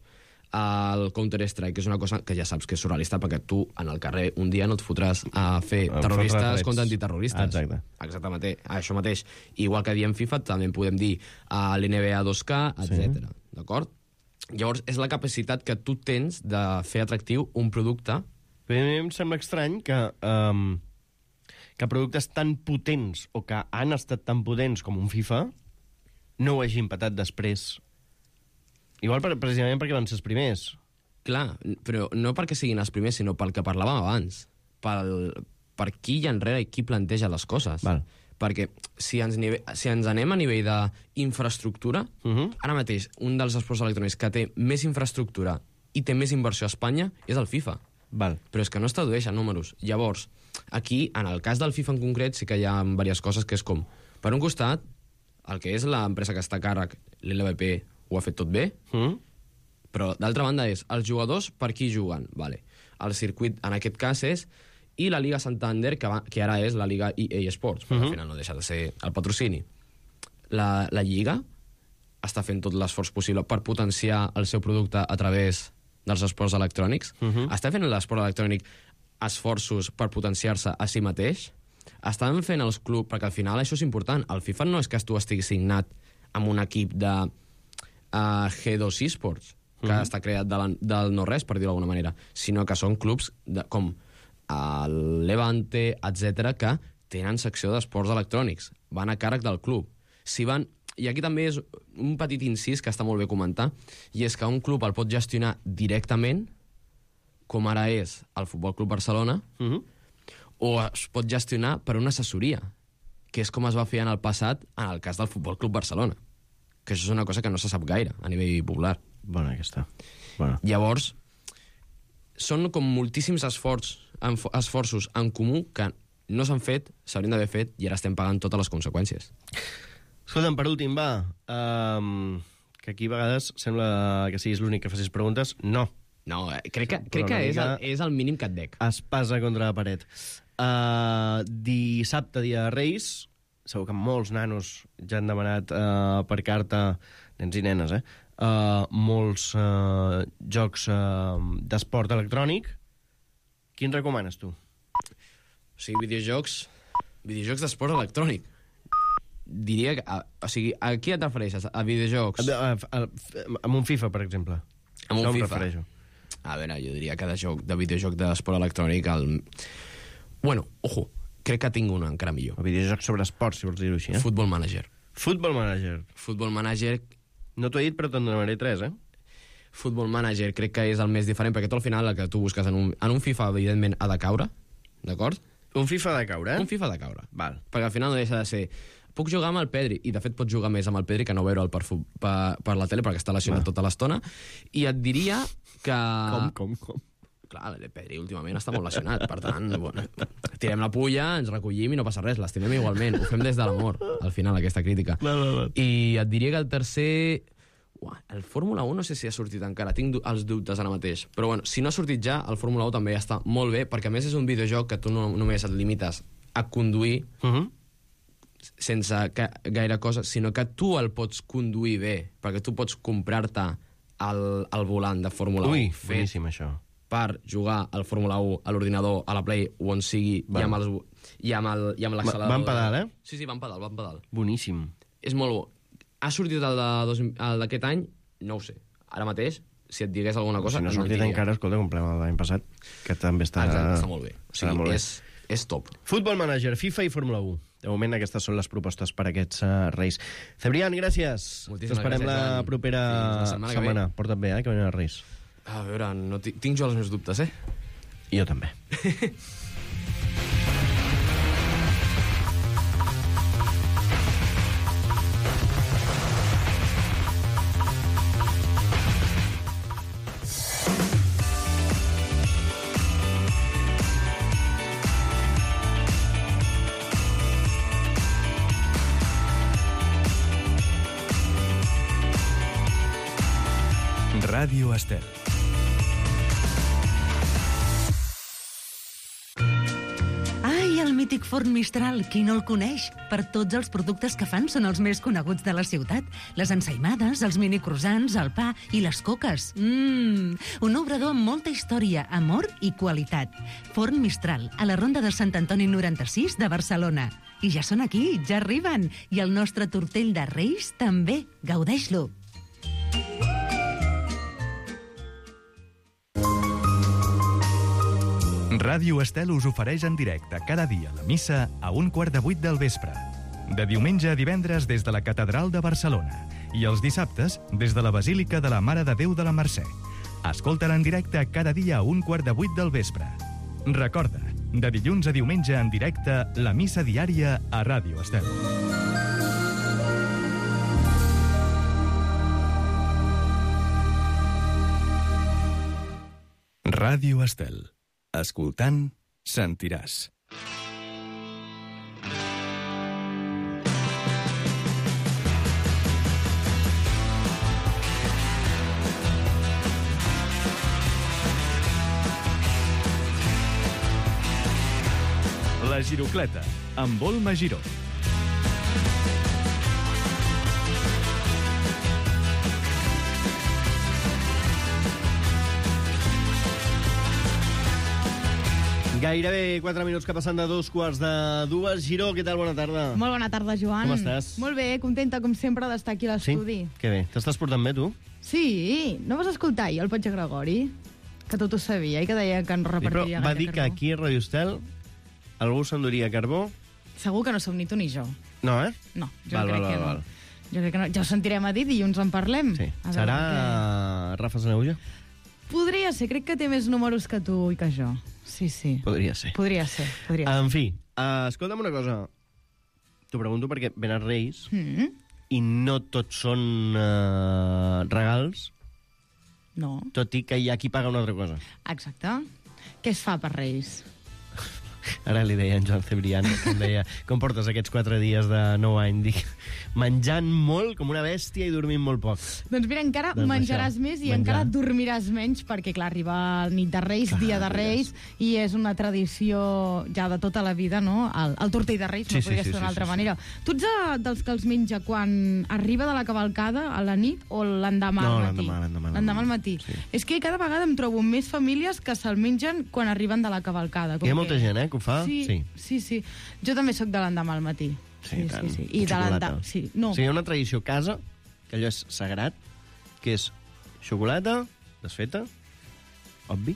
el Counter-Strike, que és una cosa que ja saps que és surrealista, perquè tu, en el carrer, un dia no et fotràs a fer terroristes contra antiterroristes. Exacte. Exactament, això mateix. Igual que diem FIFA, també en podem dir a l'N B A dos K, etcètera. Sí. D'acord? Llavors, és la capacitat que tu tens de fer atractiu un producte. Però a mi em sembla estrany que, um, que productes tan potents o que han estat tan potents com un FIFA no ho hagin patat després. Igual per, precisament perquè van ser els primers. Clar, però no perquè siguin els primers, sinó pel que parlàvem abans. Pel, per qui hi ha enrere i qui planteja les coses. Val. Perquè si ens, nive si ens anem a nivell d'infraestructura, uh -huh. ara mateix un dels esports electrònics que té més infraestructura i té més inversió a Espanya és el FIFA. Val. Però és que no es tradueix en números. Llavors, aquí, en el cas del FIFA en concret, sí que hi ha diverses coses que és com, per un costat, el que és l'empresa que està a càrrec, l'L V P, ho ha fet tot bé, mm. però d'altra banda és, els jugadors per qui juguen? Vale. El circuit, en aquest cas, és i la Liga Santander, que, va, que ara és la Liga E A Sports, però mm -hmm. al final no deixa de ser el patrocini. La, la Lliga està fent tot l'esforç possible per potenciar el seu producte a través dels esports electrònics. Mm -hmm. Està fent l'esport electrònic esforços per potenciar-se a si mateix. Estan fent els clubs, perquè al final això és important. El FIFA no és que tu estiguis signat amb un equip de Uh, G dos eSports, que mm-hmm. està creat de la, del no-res, per dir-ho d'alguna manera, sinó que són clubs de, com el Levante, etcètera, que tenen secció d'esports electrònics, van a càrrec del club. Si van... I aquí també és un petit incís que està molt bé comentar, i és que un club el pot gestionar directament, com ara és el Futbol Club Barcelona, mm-hmm. o es pot gestionar per una assessoria, que és com es va fer en el passat en el cas del Futbol Club Barcelona, que això és una cosa que no se sap gaire a nivell popular. Bona, aquesta. Bona. Llavors, són com moltíssims esforços, esforços en comú que no s'han fet, s'haurien d'haver fet, i ara estem pagant totes les conseqüències. Escolta'm, per últim, va, um, que aquí a vegades sembla que siguis l'únic que facis preguntes. No. No, crec que, crec que és, el, és el mínim que et dec. Espasa contra la paret. Uh, dissabte, dia de Reis... Segur que molts nanos ja han demanat uh, per carta, nens i nenes, eh? Uh, molts uh, jocs uh, d'esport electrònic. Quin recomanes, tu? O sigui, videojocs... Videojocs d'esport electrònic. Diria que... A, o sigui, a qui et refereixes? A videojocs? A, a, a, amb un FIFA, per exemple. Amb un no em FIFA. refereixo. A veure, jo diria que de joc, de videojoc d'esport electrònic, el... Bueno, ojo, crec que tinc un encara millor. El videojoc sobre esport, si vols dir-ho així, eh? Football Manager. Football Manager. Football Manager... No t'ho he dit, però te'n donaré tres, eh? Football Manager crec que és el més diferent, perquè tu al final el que tu busques en un, en un FIFA, evidentment, ha de caure, d'acord? Un FIFA de caure, eh? Un FIFA de caure. Val. Perquè al final no deixa de ser... Puc jugar amb el Pedri, i de fet pots jugar més amb el Pedri que no veure'l per, fu- per, per la tele, perquè està lesionat Va. tota l'estona, i et diria que... Com, com, com? Clar, el Pedri últimament està molt lesionat, per tant, bueno, tirem la pulla, ens recollim i no passa res, l'estimem igualment, ho fem des de l'amor, al final, aquesta crítica. No, no, no. I et diria que el tercer... Uah, el Fórmula un no sé si ha sortit encara, tinc du- els dubtes ara mateix, però bueno, si no ha sortit ja, el Fórmula un també està molt bé, perquè a més és un videojoc que tu no, només et limites a conduir, Uh -huh. sense ca gaire cosa, sinó que tu el pots conduir bé, perquè tu pots comprar-te el, el volant de Fórmula Ui, un fet boníssim, això. per jugar al Fórmula un a l'ordinador, a la Play o on sigui, Va. i amb, els, i amb el- i amb l'accelerador. Va en pedal, eh? Sí, sí, va en pedal, va en pedal. Boníssim. És molt bo. Ha sortit el de dos- el d'aquest any? No ho sé. Ara mateix, si et digués alguna cosa... Si no ha et sortit mentiria. encara, escolta, comprem el de l'any passat, que també està... Exacte, està molt bé. O Estarà sigui, molt bé. és, és top. Football Manager, FIFA i Fórmula un. De moment, aquestes són les propostes per a aquests uh, Reis. Cebrián, gràcies. Moltíssimes T'esperem gràcies, la Joan. propera Fins la setmana que ve. setmana. Porta't bé, eh, que venen els Reis. A veure, no ti- tinc jo els meus dubtes, eh? I jo també. Ràdio Estel. Ai, el mític forn Mistral, qui no el coneix? Per tots els productes que fan són els més coneguts de la ciutat. Les ensaïmades, els mini croissants, el pa i les coques. Mmm, un obrador amb molta història, amor i qualitat. Forn Mistral, a la Ronda de Sant Antoni noranta-sis de Barcelona. I ja són aquí, ja arriben. I el nostre tortell de Reis també. Gaudeix-lo. Ràdio Estel us ofereix en directe cada dia la missa a un quart de vuit del vespre. De diumenge a divendres des de la Catedral de Barcelona i els dissabtes des de la Basílica de la Mare de Déu de la Mercè. Escolta-la en directe cada dia a un quart de vuit del vespre. Recorda, de dilluns a diumenge en directe, la missa diària a Ràdio Estel. Ràdio Estel. Escoltant, sentiràs. La Girocleta, amb Volma Giró. Gairebé quatre minuts que passen de dos quarts de dues. Giró, què tal? Bona tarda. Molt bona tarda, Joan. Com estàs? Molt bé, contenta, com sempre, d'estar aquí a Sí? l'estudi. Que bé. T'estàs portant bé, tu? Sí, no vas escoltar ahir el Patge Gregori? Que tot ho sabia i que deia que ens Sí, però repartiria va gaire dir que carbó. aquí a Radio Estel algú s'enduria carbó. Segur que no som ni tu ni jo. No, eh? No, jo Val, crec val, que val, no. val. Jo crec que no. Ja ho sentirem a dir, dilluns en parlem. Sí. A veure Serà Rafa Saneuja? què- Podria ser, crec que té més números que tu i que jo. Sí, sí. Podria ser. Podria ser, podria ser. En fi, uh, escolta'm una cosa. T'ho pregunto perquè ven els Reis Mm, i no tots són uh, regals, no, tot i que hi ha qui paga una altra cosa. exacte. Què es fa per Reis? Ara li deia en Joan Cebrián, que em deia, com portes aquests quatre dies de nou any? Dic, menjant molt, com una bèstia, i dormint molt poc. Doncs mira, encara Doncs menjaràs això, més i menjar. encara dormiràs menys, perquè, clar, arriba el nit de Reis, Clar, dia de mires. Reis, i és una tradició ja de tota la vida, no? El, el tortell de Reis, Sí, no sí, podria sí, ser d'una sí, altra sí, sí. manera. Tu ets de, dels que els menja quan arriba de la cavalcada a la nit o l'endemà No, al matí? l'endemà, l'endemà, L'endemà al matí. Sí. És que cada vegada em trobo més famílies que se'l mengen quan arriben de la cavalcada. Com Hi ha que- molta gent, eh, que ho fa? Sí, Sí. sí, sí. Jo també sóc de l'endemà al matí. Sí, tant. sí, sí. I de Xocolata. l'endemà... Sí, no. O sigui, hi ha una tradició a casa, que allò és sagrat, que és xocolata desfeta, obvi,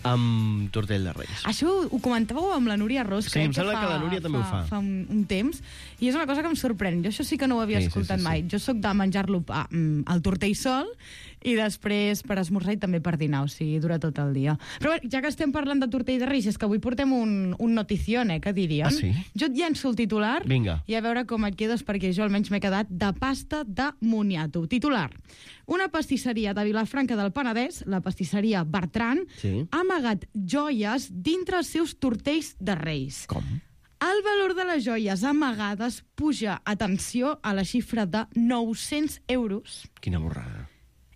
amb tortell de Reis. Això ho comentàveu amb la Núria Ros, Sí, em sembla que la Núria també ho fa. fa un, un temps, i és una cosa que em sorprèn. Jo això sí que no ho havia Sí, sí, escoltat sí, sí. mai. Jo sóc de menjar-lo ah, mm, al tortell sol i després per esmorzar i també per dinar, o sigui, dura tot el dia. Però bé, ja que estem parlant de tortell de Reis, és que avui portem un, un notición, eh, que diríem. Ah, sí? Jo et llenço el titular Vinga. i a veure com et quedes, perquè jo almenys m'he quedat de pasta de moniato. Titular. Una pastisseria de Vilafranca del Penedès, la pastisseria Bertran, Sí. ha amagat joies dintre els seus tortells de Reis. Com? El valor de les joies amagades puja, atenció, a la xifra de nou-cents euros. Quina borrada.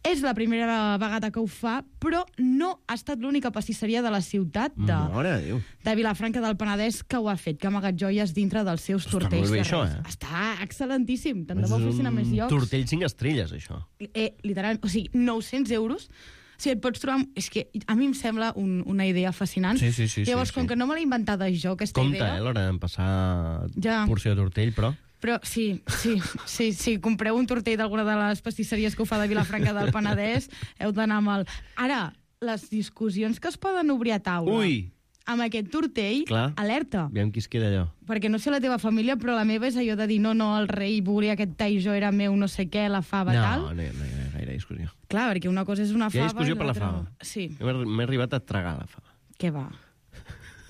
És la primera vegada que ho fa, però no ha estat l'única pastisseria de la ciutat de, Mare de Déu. de Vilafranca del Penedès que ho ha fet, que ha amagat joies dintre dels seus Està tortells molt bé, de això, Reis. eh? Està excel·lentíssim. Tant de És bo un fessin a més llocs. tortell cinc estrelles, això. Eh, literal, o sigui, nou-cents euros. O sigui, et pots trobar... És que a mi em sembla un, una idea fascinant. Sí, sí, sí, Llavors, sí, com sí. que no me l'he inventada jo, aquesta Compte, idea... eh, a l'hora d'empassar Ja. porció de tortell, però... Però sí, sí, sí, sí, compreu un tortell d'alguna de les pastisseries que ho fa de Vilafranca del Penedès, heu d'anar amb el... Ara, les discussions que es poden obrir a taula Ui! amb aquest tortell, Clar. alerta. Aviam qui es queda allò. Perquè no sé la teva família, però la meva és allò de dir no, no, el rei volia aquest tall, jo era meu, no sé què, la fava, No, tal. no, hi ha- no hi ha gaire discussió. Clar, perquè una cosa és una Hi ha fava... discussió i per la l'altra- fava. Sí, M'he m'he arribat a tragar la fava. què va?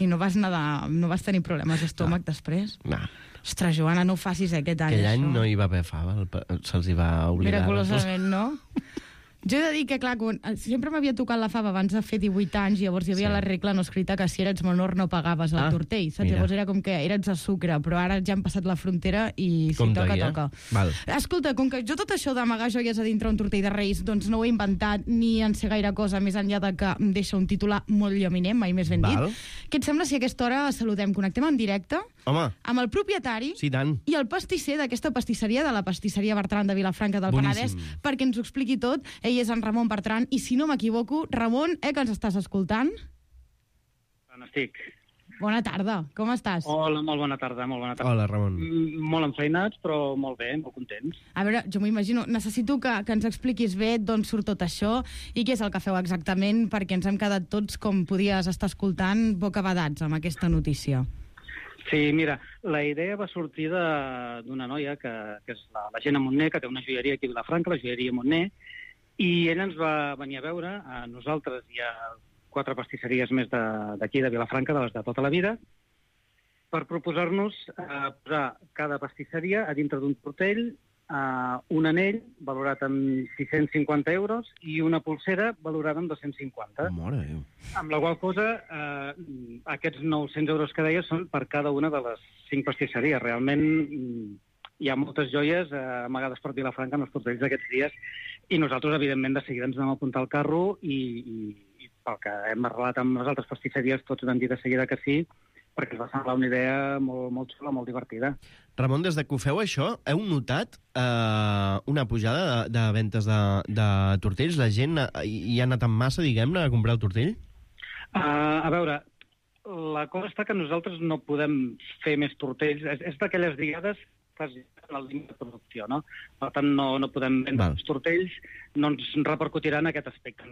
I no vas, nedar, no vas tenir problemes d'estómac després? No. Ostres, Joana, no ho facis eh, aquest any, Aquell any això. no hi va haver fava, el pa- se'ls hi va oblidar. Miraculosament, no? Jo he de dir que, clar, quan, sempre m'havia tocat la fava abans de fer divuit anys, i llavors hi havia Sí. la regla no escrita que si eres menor no pagaves el Ah, tortell, saps? mira. Llavors era com que eres de sucre, però ara ja han passat la frontera i si Compte toca, aquí, eh? toca. Val. Escolta, com que jo tot això d'amagar joies a dintre un tortell de Reis, doncs no ho he inventat ni en sé gaire cosa, més enllà de que em deixa un titular molt llaminent, mai més ben Val. dit. Què et sembla si a aquesta hora saludem, connectem en directe Home, amb el propietari sí, tant. i el pastisser d'aquesta pastisseria, de la pastisseria Bertran de Vilafranca del Boníssim. Penedès, perquè ens ho expliqui tot. Ell és en Ramon Bertran, i si no m'equivoco, Ramon, eh, que ens estàs escoltant? On estic? Bona tarda, com estàs? Hola, molt bona tarda, molt bona tarda. Hola, Ramon. Mm, Molt enfeinats, però molt bé, molt contents. A veure, jo m'ho imagino, necessito que, que ens expliquis bé d'on surt tot això i què és el que feu exactament, perquè ens hem quedat tots, com podies estar escoltant, bocabadats amb aquesta notícia. Sí, mira, la idea va sortir de- d'una noia que, que és la, la Gemma Montner, que té una joieria aquí a Vilafranca, la joieria Montner, i ella ens va venir a veure, a nosaltres i a quatre pastisseries més de- d'aquí, de, de Vilafranca, de les de tota la vida, per proposar-nos eh, posar cada pastisseria a dintre d'un tortell eh, un anell valorat amb sis-cents cinquanta euros i una pulsera valorada amb dos-cents cinquanta. Mare de Déu. Amb la qual cosa, eh, aquests nou-cents euros que deia són per cada una de les cinc pastisseries. Realment mm, hi ha moltes joies eh, amagades per Vilafranca en els tortells d'aquests dies i nosaltres, evidentment, de seguida ens vam apuntar al carro i, i, i pel que hem arrelat amb les altres pastisseries, tots vam dir de seguida que sí, perquè ens va semblar una idea molt, molt xula, molt divertida. Ramon, des de que ho feu això, heu notat eh, una pujada de, de ventes de, de tortells? La gent eh, hi ha anat en massa, diguem-ne, a comprar el tortell? Uh, a veure, la cosa està que nosaltres no podem fer més tortells. És, és d'aquelles diades que es en el límit de producció, no? Per tant, no, no podem vendre Val. els tortells, no ens repercutirà en aquest aspecte.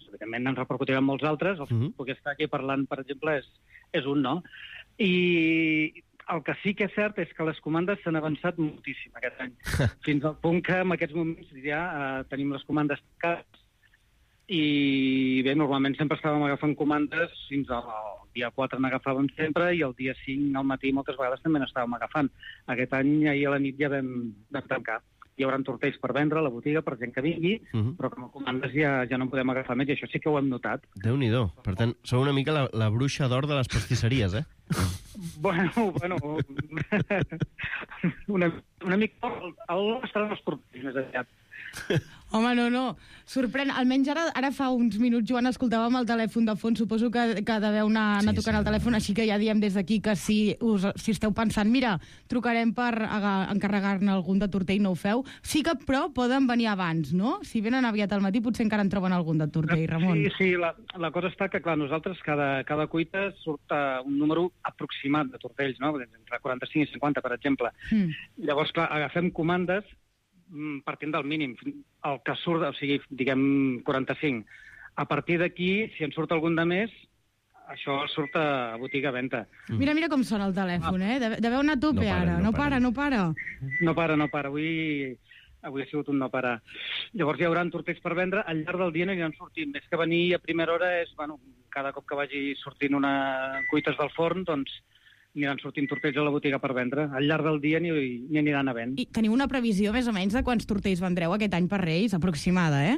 Evidentment, ens repercutirà en molts altres. El Mhm. que puc estar aquí parlant, per exemple, és, és un, no? I el que sí que és cert és que les comandes s'han avançat moltíssim aquest any. Fins al punt que en aquests moments ja eh, tenim les comandes tancades i bé, normalment sempre estàvem agafant comandes, fins al dia quatre n'agafàvem sempre i el dia cinc al matí moltes vegades també n'estàvem agafant. Aquest any, ahir a la nit ja vam, vam tancar. Hi haurà tortells per vendre a la botiga per gent que vingui, Mhm. però com a comandes ja, ja no en podem agafar més i això sí que ho hem notat. Déu-n'hi-do. Per tant, sou una mica la, la bruixa d'or de les pastisseries, eh? Bueno, bueno... una, una mica... El, el estaran els tortells més aviat. Home, no, no, sorprèn. Almenys ara, ara fa uns minuts, Joan, escoltàvem el telèfon de fons, suposo que, que deveu anar, anar Sí, tocant sí. el telèfon, així que ja diem des d'aquí que si, us, si esteu pensant, mira, trucarem per aga- encarregar-ne algun de tortell, no ho feu. Sí que, però, poden venir abans, no? Si venen aviat al matí, potser encara en troben algun de tortell, Ramon. Sí, sí, la, la cosa està que, clar, nosaltres cada, cada cuita surt uh, un número aproximat de tortells, no? Entre quaranta-cinc i cinquanta, per exemple. Mm. Llavors, clar, agafem comandes partint del mínim, el que surt, o sigui, diguem, quaranta-cinc. A partir d'aquí, si en surt algun de més, això surt a botiga a venda. Mira, mira com sona el telèfon, eh? Deveu anar a tope ara. No para, no para. No para, no para. Avui... Avui ha sigut un no parar. Llavors hi haurà tortells per vendre, al llarg del dia no hi han sortit. Més que venir a primera hora és, bueno, cada cop que vagi sortint una cuites del forn, doncs aniran sortint tortells a la botiga per vendre. Al llarg del dia n'hi aniran havent. I teniu una previsió més o menys de quants tortells vendreu aquest any per Reis? Aproximada, eh?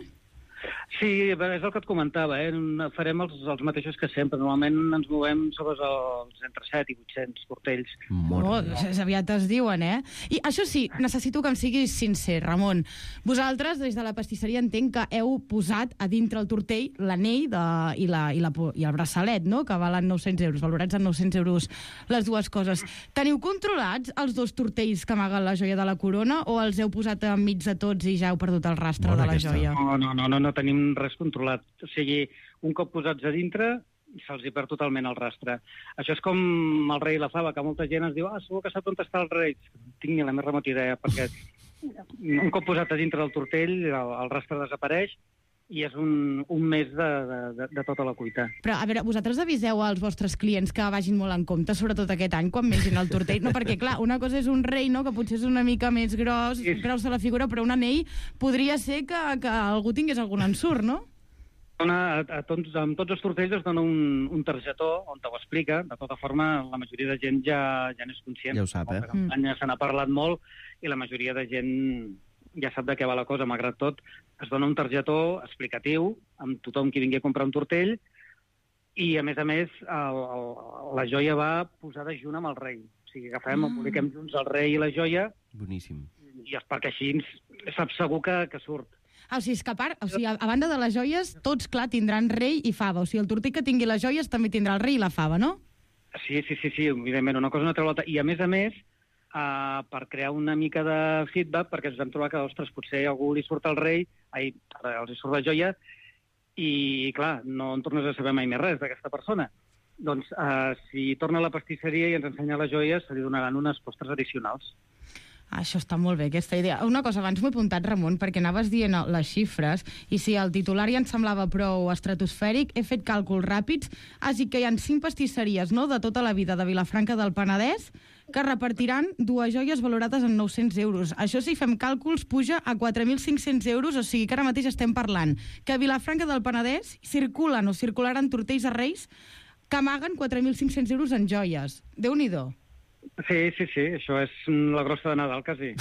Sí, és el que et comentava, eh? Farem els, els mateixos que sempre. Normalment ens movem sobre els entre set i vuit-cents tortells. Oh, aviat es diuen, eh? I això sí, necessito que em siguis sincer, Ramon. Vosaltres, des de la pastisseria, entenc que heu posat a dintre el tortell l'anell de, i, la, i, la, i el braçalet, no?, que valen nou-cents euros, valorats en nou-cents euros les dues coses. Teniu controlats els dos tortells que amaguen la joia de la corona o els heu posat enmig de tots i ja heu perdut el rastre Bona de la aquesta. joia? No, no, no, no, no tenim res controlat. O sigui, un cop posats a dintre, se'ls hi perd totalment el rastre. Això és com el rei i la fava, que molta gent es diu, ah, segur que sap on està el rei. No tinc ni la més remota idea, perquè un cop posat a dintre del tortell, el, el rastre desapareix i és un, un mes de, de, de tota la cuita. Però, a veure, vosaltres aviseu als vostres clients que vagin molt en compte, sobretot aquest any, quan mengin el tortell? No, perquè, clar, una cosa és un rei, no?, que potser és una mica més gros, sí. Graus de la figura, però un anell podria ser que, que algú tingués algun ensurt, no? A, a tots, amb tots els tortells es dona un, un targetó on te ho explica. De tota forma, la majoria de gent ja, ja n'és conscient. Ja ho sap, eh? La campanya se n'ha parlat molt i la majoria de gent ja sap de què va la cosa. Malgrat tot, es dona un targetó explicatiu amb tothom qui vingui a comprar un tortell i, a més a més, el, el, la joia va posada junt amb el rei. O sigui, agafem, mm. publiquem junts el rei i la joia. Boníssim. I és perquè així saps segur que, que surt. Ah, o sigui, és que a part, o sigui, a, a banda de les joies, tots, clar, tindran rei i fava. O sigui, el tortell que tingui les joies també tindrà el rei i la fava, no? Sí, sí, sí, sí, evidentment, una cosa no treu l'altra. I, a més a més, uh, per crear una mica de feedback, perquè ens vam trobar que, ostres, potser a algú li surt el rei, ai, els hi surt la joia, i, clar, no en tornes a saber mai més res d'aquesta persona. Doncs, uh, si torna a la pastisseria i ens ensenya les joies, se li donaran unes postres addicionals. Això està molt bé, aquesta idea. Una cosa, abans m'ho he apuntat, Ramon, perquè anaves dient les xifres, i si el titular ja em semblava prou estratosfèric, he fet càlculs ràpids, així que hi ha cinc pastisseries, no?, de tota la vida de Vilafranca del Penedès, que repartiran dues joies valorades en nou-cents euros. Això, si fem càlculs, puja a quatre mil cinc-cents euros, o sigui que ara mateix estem parlant que a Vilafranca del Penedès circulen o circularan tortells a Reis que amaguen quatre mil cinc-cents euros en joies. Déu-n'hi-do. Sí, sí, sí, això és la grossa de Nadal, quasi.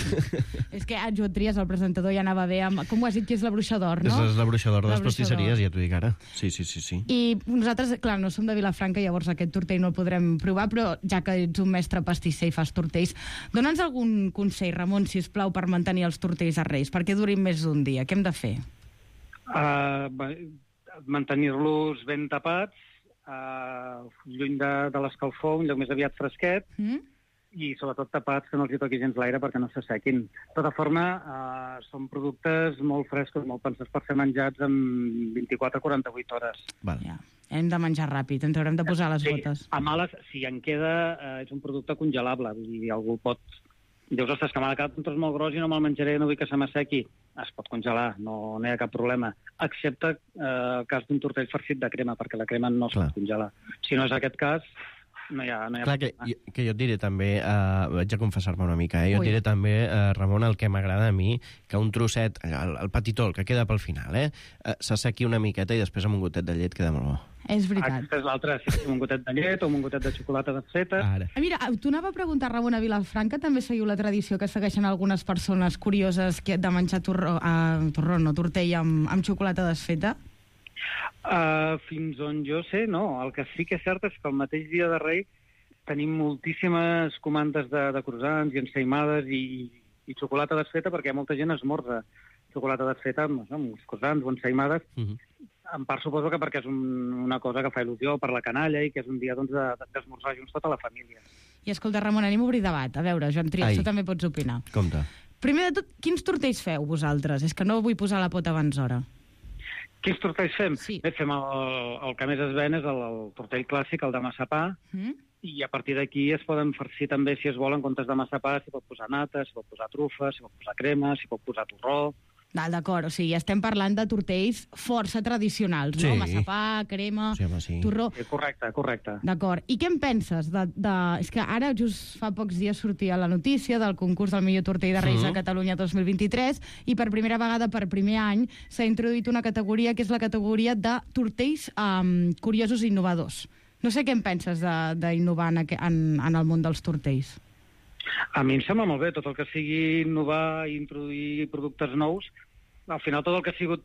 És que en Joan Trias, el presentador, ja anava bé amb... Com ho has dit, que és la bruixa d'or, no? És la bruixa d'or de les pastisseries, ja t'ho dic ara. Sí, sí, sí, sí. I nosaltres, clar, no som de Vilafranca, llavors aquest tortell no el podrem provar, però ja que ets un mestre pastisser i fas tortells, dona'ns algun consell, Ramon, si us plau, per mantenir els tortells a Reis, perquè durin més d'un dia. Què hem de fer? Uh, mantenir-los ben tapats, uh, lluny de, de l'escalfor, un lloc més aviat fresquet, mm? I sobretot tapats, que no els hi toqui gens l'aire perquè no s'assequin. De tota forma, eh, són productes molt frescos, molt pensats per ser menjats en vint-i-quatre a quaranta-vuit hores. Val. Ja. Hem de menjar ràpid, ens haurem de posar les sí, botes. A males, si en queda, eh, és un producte congelable. Vull dir, algú pot... Dius, ostres, que m'ha quedat un tros molt gros i no me'l menjaré, no vull que se m'assequi. Es pot congelar, no, no hi ha cap problema. Excepte eh, el cas d'un tortell farcit de crema, perquè la crema no es pot congelar. Si no és aquest cas... No hi ha, no hi ha Clar, que, que jo et diré també, uh, vaig a confessar-me una mica, eh? jo et diré també, uh, Ramon, el que m'agrada a mi, que un trosset, el, el petitó, el que queda pel final, eh, uh, s'assequi una miqueta i després amb un gotet de llet queda molt bo. És veritat. Aquesta és l'altra, si un gotet de llet o un gotet de xocolata desfeta. Ah, mira, t'ho anava a preguntar, Ramon, a Vilafranca també seguiu la tradició que segueixen algunes persones curioses que de menjar torró, uh, torró no, tortell amb, amb xocolata desfeta? Uh, fins on jo sé, no. El que sí que és cert és que el mateix dia de Rei tenim moltíssimes comandes de, de croissants i ensaïmades i, i xocolata desfeta, perquè molta gent esmorza xocolata desfeta amb, no, amb uns croissants o ensaïmades. Uh-huh. En part suposo que perquè és un, una cosa que fa il·lusió per la canalla i que és un dia doncs, d'esmorzar junts tota la família. I escolta, Ramon, anem a obrir debat. A veure, Joan Trias, tu també pots opinar. Compte. Primer de tot, quins tortells feu vosaltres? És que no vull posar la pota abans d'hora. Quins tortells fem? Sí. Bé, fem el, el que més es ven és el, el tortell clàssic, el de massapà, mm. i a partir d'aquí es poden farcir també, si es vol, en comptes de massapà, s'hi pot posar nata, s'hi pot posar trufa, s'hi pot posar crema, s'hi pot posar torró... D'acord, o sigui, estem parlant de tortells força tradicionals, Sí. no? Massapà, crema, Sí, home, sí. torró... Sí, correcte, correcte. D'acord. I què en penses? De, de... És que ara, just fa pocs dies, sortia la notícia del concurs del millor tortell de Reis Mhm. a Catalunya dos mil vint-i-tres i per primera vegada, per primer any, s'ha introduït una categoria que és la categoria de tortells um, curiosos i innovadors. No sé què en penses d'innovar en, aqu- en, en el món dels tortells. A mi em sembla molt bé, tot el que sigui innovar i introduir productes nous, al final tot el que ha sigut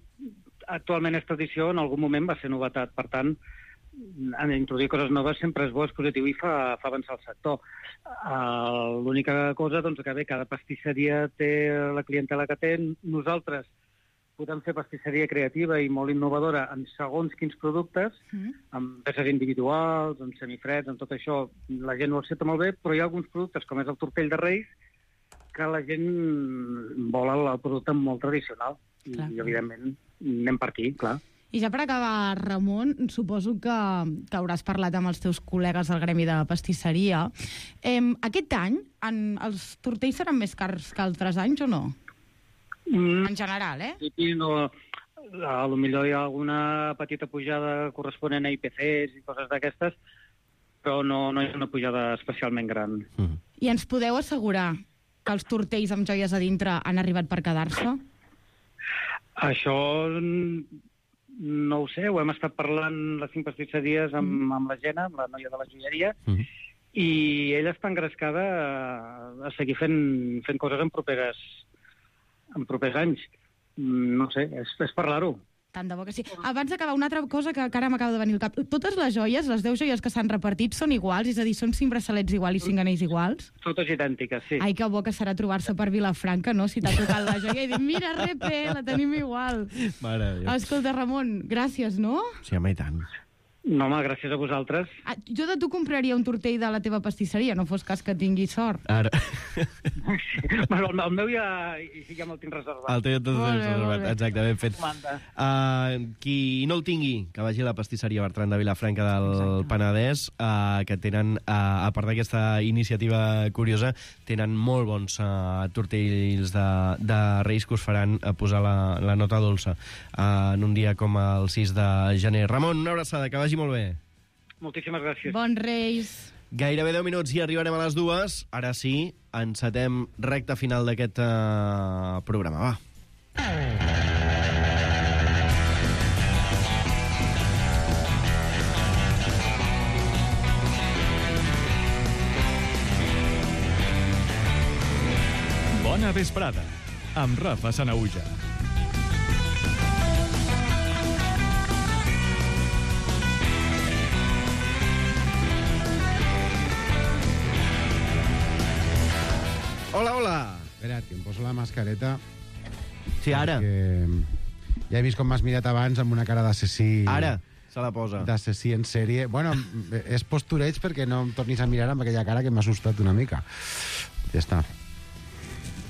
actualment és tradició, en algun moment va ser novetat. Per tant, en introduir coses noves sempre és bo, és positiu i fa, fa avançar el sector. Uh, L'única cosa, doncs, que bé, cada pastisseria té la clientela que té. Nosaltres podem fer pastisseria creativa i molt innovadora en segons quins productes, amb peces individuals, amb semifreds, amb tot això. La gent ho accepta molt bé, però hi ha alguns productes, com és el tortell de Reis, que la gent vol el, el producte molt tradicional. I, Clar. i, evidentment, anem per aquí, clar. I ja per acabar, Ramon, suposo que, que hauràs parlat amb els teus col·legues del gremi de pastisseria. Eh, aquest any en, els tortells seran més cars que altres anys o no? Mm. En general, eh? Sí, no, a lo millor hi ha alguna petita pujada corresponent a I P Cs i coses d'aquestes, però no, no hi ha una pujada especialment gran. I ens podeu assegurar que els tortells amb joies a dintre han arribat per quedar-se? Això mm, no ho sé, ho hem estat parlant les cinc pastisseries amb, mm. amb la Gena, amb la noia de la joieria, mm. i ella està engrescada a, a seguir fent, fent coses en properes, en propers anys. Mm, No sé, és, és parlar-ho. Tant de bo que sí. Abans d'acabar, una altra cosa que, que ara m'acaba de venir al cap. Totes les joies, les deu joies que s'han repartit, són iguals? És a dir, són cinc braçalets iguals i cinc anells iguals? Totes idèntiques, sí. Ai, que bo que serà trobar-se per Vilafranca, no? Si t'ha tocat la joia i dir, mira, repe, la tenim igual. Mare de Déu. Escolta, Ramon, gràcies, no? Sí, home, i tant. No, home, gràcies a vosaltres. Ah, jo de tu compraria un tortell de la teva pastisseria, no fos cas que tingui sort. Ara. Bueno, el, el meu ja, ja me'l tinc reservat. El teu ja tot Molt bé, reservat. molt bé. Exacte, ben fet. Comanda. Uh, qui no el tingui, que vagi a la pastisseria Bertran de Vilafranca del Exacte. Penedès, uh, que tenen, uh, a part d'aquesta iniciativa curiosa, tenen molt bons uh, tortells de, de Reis que us faran uh, posar la, la nota dolça uh, en un dia com el sis de gener. Ramon, una abraçada, que vagi molt bé. Moltíssimes gràcies. Bons Reis. Gairebé deu minuts i arribarem a les dues. Ara sí, encetem recta final d'aquest uh, programa. Va. Bona vesprada, amb Rafa Sanauja. Hola, hola. Espera't, que em poso la mascareta. Sí, ara. Perquè ja he vist com m'has mirat abans amb una cara d'assassí. Ara se la posa. D'assassí en sèrie. Bueno, és postureig perquè no em tornis a mirar amb aquella cara que m'ha assustat una mica. Ja està.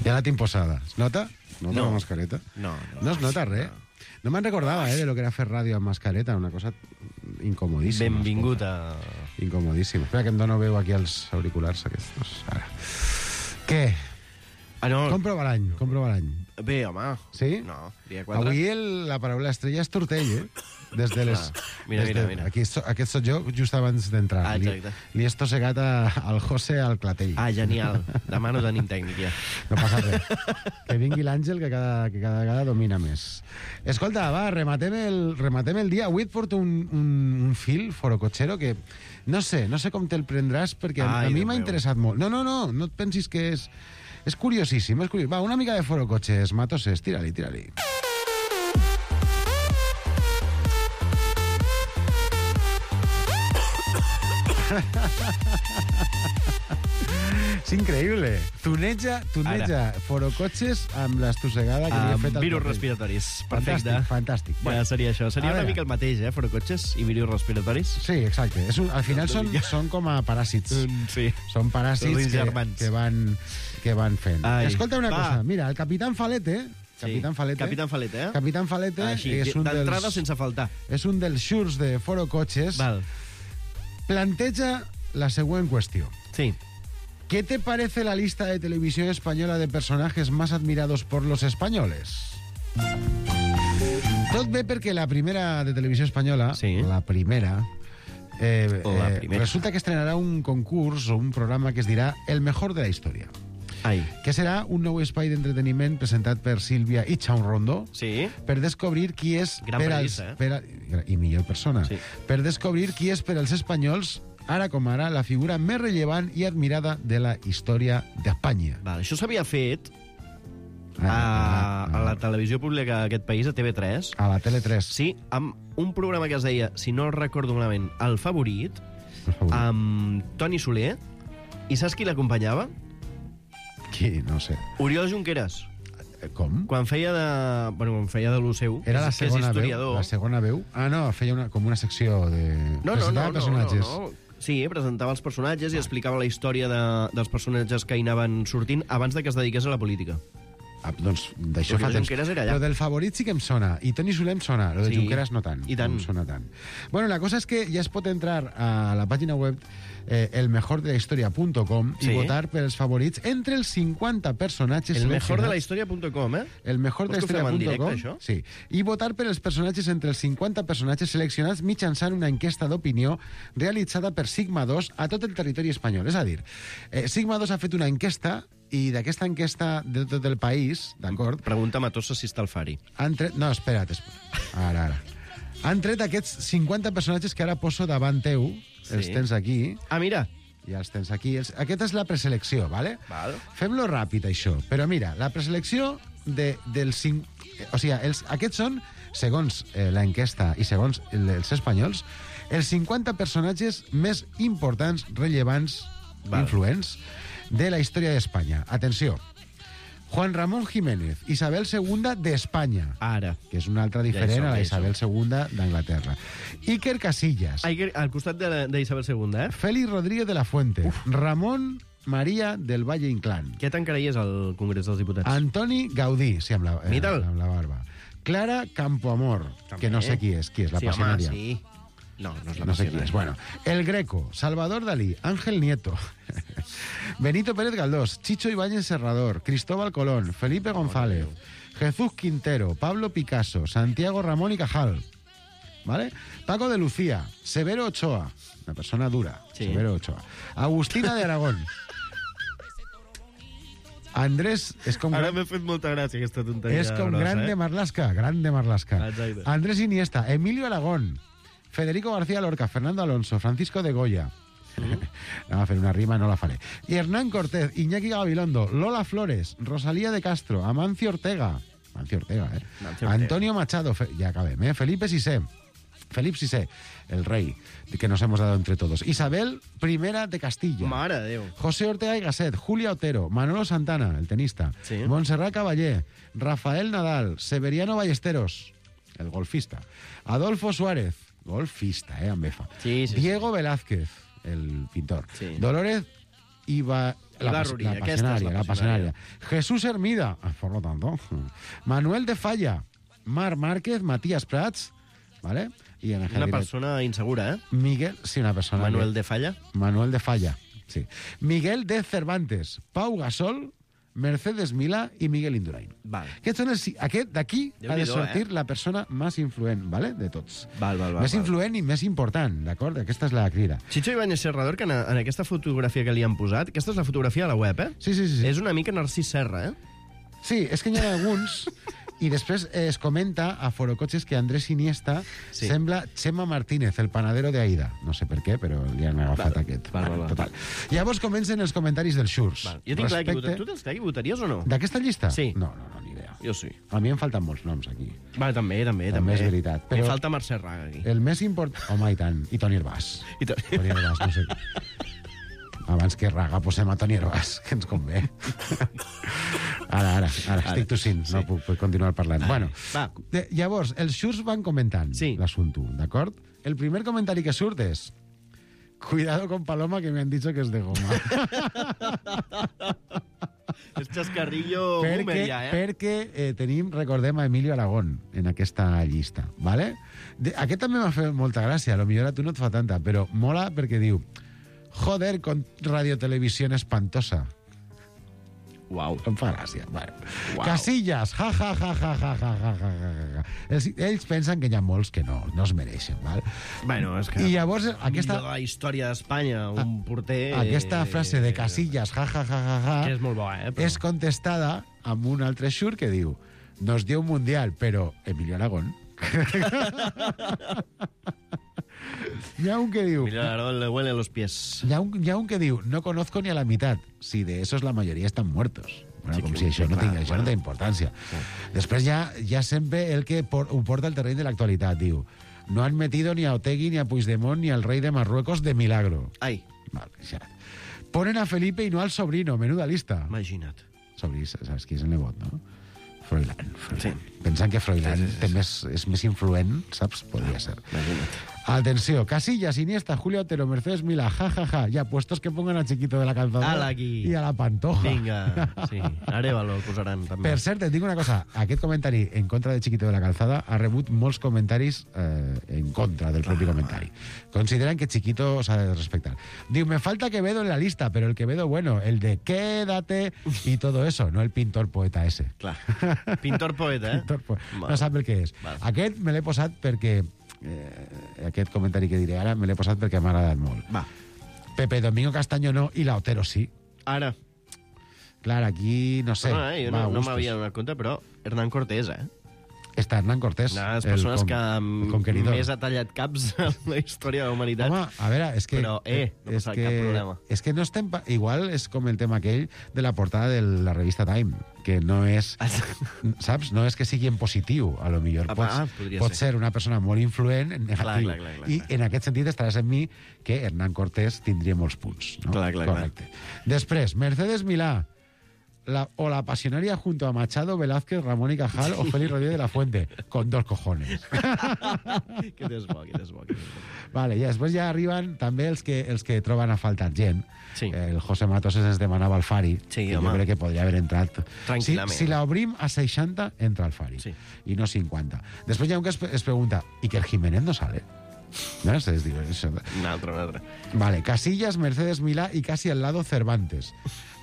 Ja la tinc posada. Es nota? Nota No. la mascareta? No, no. No es nota res. No me'n recordava, eh, de lo que era fer ràdio amb mascareta. Una cosa incomodíssima. Benvingut a... Incomodíssima. Espera, que em dono veu aquí els auriculars aquests. Ara. Què? Ah, no. Comprova l'any, comprova l'any. Bé, home. Sí? No, dia quatre. Avui el, la paraula estrella és tortell, eh? Des de les... Clar. Mira, des mira, de, mira. Aquí, so, aquest sóc jo just abans d'entrar. Ah, li, exacte. li he estossegat a, al José al clatell. Ah, genial. Demà no tenim tècnic, ja. No passa res. Que vingui l'Àngel, que cada, que cada vegada domina més. Escolta, va, rematem el, rematem el dia. Avui et porto un, un, un fil forocotxero que no sé, no sé com te'l prendràs, perquè a, Ai, a mi Déu m'ha meu. interessat molt. No, no, no, no et pensis que és... És curiosíssim, és curiós. Va, una mica de forocotxes, Matoses, tira-li, tira-li. És increïble. Tuneja, tuneja forocotxes amb l'estossegada que li he Amb fet al virus clatell. respiratoris. Perfecte. Fantàstic, fantàstic. Ja seria això. Seria a una veure. mica el mateix, eh? Forocotxes i virus respiratoris. Sí, exacte. És un, al final són, són com a paràsits. Sí. Són paràsits Els que, germans. que, van, que van fent. Ai. Escolta una Va. cosa. Mira, el Capitán Falete... Sí. Capitán Falete. Capitán Falete, eh? Capitán Falete Així, és un d'entrada dels... sense faltar. És un dels xurs de forocotxes. Val. Planteja la següent qüestió. Sí. ¿Qué te parece la lista de televisión española de personajes más admirados por los españoles? Tot bé perquè la primera de televisió espanyola, sí. la primera, eh, la eh, primera, resulta que estrenarà un concurs o un programa que es dirà El mejor de la història. Ai. Que serà un nou espai d'entreteniment presentat per Sílvia i Chaun Rondo sí. per descobrir qui és... Gran per periodista, als, eh? per a, I millor persona. Sí. Per descobrir qui és per als espanyols, ara com ara, la figura més rellevant i admirada de la història d'Espanya. Vale, això s'havia fet a, a la televisió pública d'aquest país, a T V tres. A la Tele tres. Sí, amb un programa que es deia, si no recordo malament, El Favorit, El Favorit. amb Toni Soler. I saps qui l'acompanyava? Qui? No sé. Oriol Junqueras. Com? Quan feia de... Bueno, quan feia de l'U S E U, Era la que és segona veu, historiador. la segona veu? Ah, no, feia una, com una secció de... No, no, no, presentava no, personatges. no, no. Sí, presentava els personatges i explicava la història de, dels personatges que hi anaven sortint abans de que es dediqués a la política. Ah, doncs d'això fa Oriol temps. Junqueras era allà. Lo del Favorit sí que em sona, i Toni Soler em sona, lo de Sí. Junqueras no tant. I tant. No em sona tant. Bueno, la cosa és que ja es pot entrar a la pàgina web eh, el mejor de la historia punto com Sí. i votar per els favorits entre els cinquanta personatges El mejor de la seleccionats. historia punto com, eh? El mejor de la Vols que ho fem en historia punto com. directe, això? Sí. I votar per els personatges entre els cinquanta personatges seleccionats mitjançant una enquesta d'opinió realitzada per Sigma dos a tot el territori espanyol. És a dir, eh, Sigma dos ha fet una enquesta i d'aquesta enquesta de tot el país, d'acord? Pregunta a Matossa si està al Fari. Han tret... No, espera't. espera't. Ara, ara. Han tret aquests cinquanta personatges que ara poso davant teu. Sí. Els tens aquí. Ah, mira. Ja els tens aquí. Els... Aquesta és la preselecció, ¿vale? Val. Fem-lo ràpid, això. Però mira, la preselecció de, dels cinc... O sigui, els... aquests són, segons eh, l'enquesta i segons el, els espanyols, els cinquanta personatges més importants, rellevants, Val. influents de la història d'Espanya. Atenció. Juan Ramón Jiménez, Isabel segunda d'Espanya. Ara. Que és una altra diferent Ja hi som, a la ja hi Isabel segunda d'Anglaterra. Iker Casillas. Iker, al costat de- d'Isabel segunda, eh? Félix Rodríguez de la Fuente. Uf. Ramón María del Valle Inclán. Què tancaries al Congrés dels Diputats? Antoni Gaudí, sí, amb la, eh, Mita'l. amb la barba. Clara Campoamor, També. que no sé qui és, qui és, la sí, passionària. Home, sí. No, no és la No sé qui passionària. és. Bueno, El Greco, Salvador Dalí, Ángel Nieto, Benito Pérez Galdós, Chicho Ibáñez Serrador, Cristóbal Colón, Felipe González, Jesús Quintero, Pablo Picasso, Santiago Ramón y Cajal, ¿vale? Paco de Lucía, Severo Ochoa, una persona dura, Sí. Severo Ochoa, Agustina de Aragón, Andrés... És com Ara gran- m'ha fet molta gràcia aquesta tonteria. és com grossa, grande eh? Marlaska, grande Marlaska. Exacte. Andrés Iniesta, Emilio Aragón, Federico García Lorca, Fernando Alonso, Francisco de Goya. Anem a fer una rima, no la faré. I Hernán Cortés, Iñaki Gabilondo, Lola Flores, Rosalía de Castro, Amancio Ortega. Amancio Ortega, eh? Amancio Ortega. Antonio Machado, Fe... ja acabem, eh? Felipe Sisé. Felipe Sisé, el rey que nos hemos dado entre todos. Isabel I de Castilla. Mare de Déu. José Ortega y Gasset, Julia Otero, Manolo Santana, el tenista, Sí. Montserrat Caballé, Rafael Nadal, Severiano Ballesteros, el golfista, Adolfo Suárez, golfista, eh, amb F. Sí, sí, Diego Velázquez, el pintor, Sí. Dolores Iba... La, Ibarruri, la aquesta és la pasionaria, la pasionaria. pasionaria. Jesús Hermida, ah, por lo tanto, Manuel de Falla, Mar Márquez, Matías Prats, ¿vale? Y en el Una persona insegura, eh? Miguel, sí, una persona... Manuel que- de Falla. Manuel de Falla, sí. Miguel de Cervantes, Pau Gasol, Mercedes Milà i Miguel Indurain. Val. Aquests són els... Aquest d'aquí ha de Déu-n'hi-do, sortir eh? la persona més influent, ¿vale? De tots. Val, val, val. Més val. influent i més important, d'acord? Aquesta és la crida. Chicho Ibáñez Serrador, que en, en aquesta fotografia que li han posat, aquesta és la fotografia a la web, eh? Sí, sí, sí. sí. És una mica Narcís Serra, eh? Sí, és que n'hi ha alguns... I després eh, es comenta a Forocotxes que Andrés Iniesta Sí. sí. sembla Chema Martínez, el panadero de Aida. No sé per què, però li han agafat Val, aquest. val, val, val. Total. Llavors comencen els comentaris dels Xurs. Val. Jo tinc clar que votar. Tu tens clar que votaries o no? D'aquesta llista? Sí. No, no, no, ni idea. Jo sí. A mi em falten molts noms aquí. Vale, també, també. També és veritat, Però... però- Em falta Mercè Raga, aquí. El més important... Home, i tant. I Toni Herbàs. I to... Toni Herbàs, no sé. Abans que Raga posem a Toni Herbàs, que ens convé. Ara, ara, ara, estic tossint, sí. No puc, puc continuar parlant. Bueno, Va. de, llavors, els Xurs van comentant Sí. l'assumpte, d'acord? El primer comentari que surt és: cuidado con Paloma, que me han dicho que es de goma. És xascarrillo boomer perquè ja, eh? perquè eh, tenim, recordem, a Emilio Aragón en aquesta llista, ¿vale? De, aquest també m'ha fet molta gràcia, a lo millor a tu no et fa tanta, però mola perquè diu: Joder, con radiotelevisión espantosa. Uau. Em fa gràcia. Bueno. Uau. Casillas, ja, ja, ja, ja, ja, ja, ja, ja, ja. Ells, ells pensen que hi ha molts que no, no es mereixen, val? Bueno, és que... I llavors, aquesta... De la història d'Espanya, un porter... Aquesta frase de Casillas, ja, ja, ja, ja, ja... Que és molt bo, eh? Però... És contestada amb un altre xur que diu nos dio un mundial, però Emilio Aragón... Hi ha un que diu... Emilio Aragón le huele los pies. Hi ha, un, hi ha un que diu no conozco ni a la mitad. Si de esos la mayoría están muertos. Bueno, Sí, com que- si això, que no, clar, tinga, això bueno. no té importància. Després hi ha, hi ha sempre el que por, ho porta al terreny de l'actualitat. Diu, no han metido ni a Otegui, ni a Puigdemont, ni al rei de Marruecos de milagro. Ai. Vale, ja. Ponen a Felipe y no al sobrino. Menuda lista. Imagina't. Sobrí, saps qui és el nebot, no? Froilán. Froilán. Sí. Pensant que Froilán sí, sí, sí. Té més, és més influent, saps? Podria ser. Imagina't. Atenció, Casillas, Iniesta, Julio Otero, Mercedes Milá, ja, ja, ja. Ya puestos que pongan a Chiquito de la Calzada Ala aquí. i a la Pantoja. Vinga, sí. Arevalo el posaran, també. Per cert, et dic una cosa. Aquest comentari en contra de Chiquito de la Calzada ha rebut molts comentaris eh, en contra del propi comentari. Consideran que Chiquito s'ha de respectar. Diu, me falta Quevedo en la lista, pero el Quevedo bueno, el de quédate y todo eso, no el pintor poeta ese. Clar. Pintor poeta, eh? Pintor po Val. no sap el que és. Val. Aquest me l'he posat perquè... Eh, aquest comentari que diré ara me l'he posat perquè m'ha agradat molt. Va. Pepe Domingo Castaño no i la Otero sí. Ara. Clar, aquí no sé. No, no, eh, jo va no, a no gustos. m'havia donat compte, però Hernán Cortés, eh? Està Hernán Cortés. Una de les el persones com- que el conqueridor. més ha tallat caps en la història de la humanitat. Home, a veure, és que... Però, eh, no és passa que, cap problema. És que no estem... pa- Igual és com el tema aquell de la portada de la revista Time, que no és... saps? No és que sigui en positiu, a lo millor. Ah, Pots, ah, podria pot ser. ser una persona molt influent en negatiu. Clar, clar, clar, clar, I en aquest sentit estaràs amb mi que Hernán Cortés tindria molts punts. No? Clar, clar, Correcte. Després, Mercedes Milá. La, o la pasionaria junto a Machado, Velázquez, Ramón y Cajal o Félix Rodríguez de la Fuente, con dos cojones. Aquest és bo, aquest és bo. Aquest és bo. Vale, i després ja arriben també els que, els que troben a faltar gent. Sí. El José Matos ens demanava el Fari, Sí, que home. jo crec que podria haver entrat. Tranquil·lament. Si, si l'obrim a seixanta, entra el Fari. Sí. I no cinquanta. Després hi ha un que es, es pregunta, ¿y que el Jiménez no sale? ¿No? Es, digo, eso. Un altre, un altre. Vale, Casillas, Mercedes Milá y casi al lado Cervantes.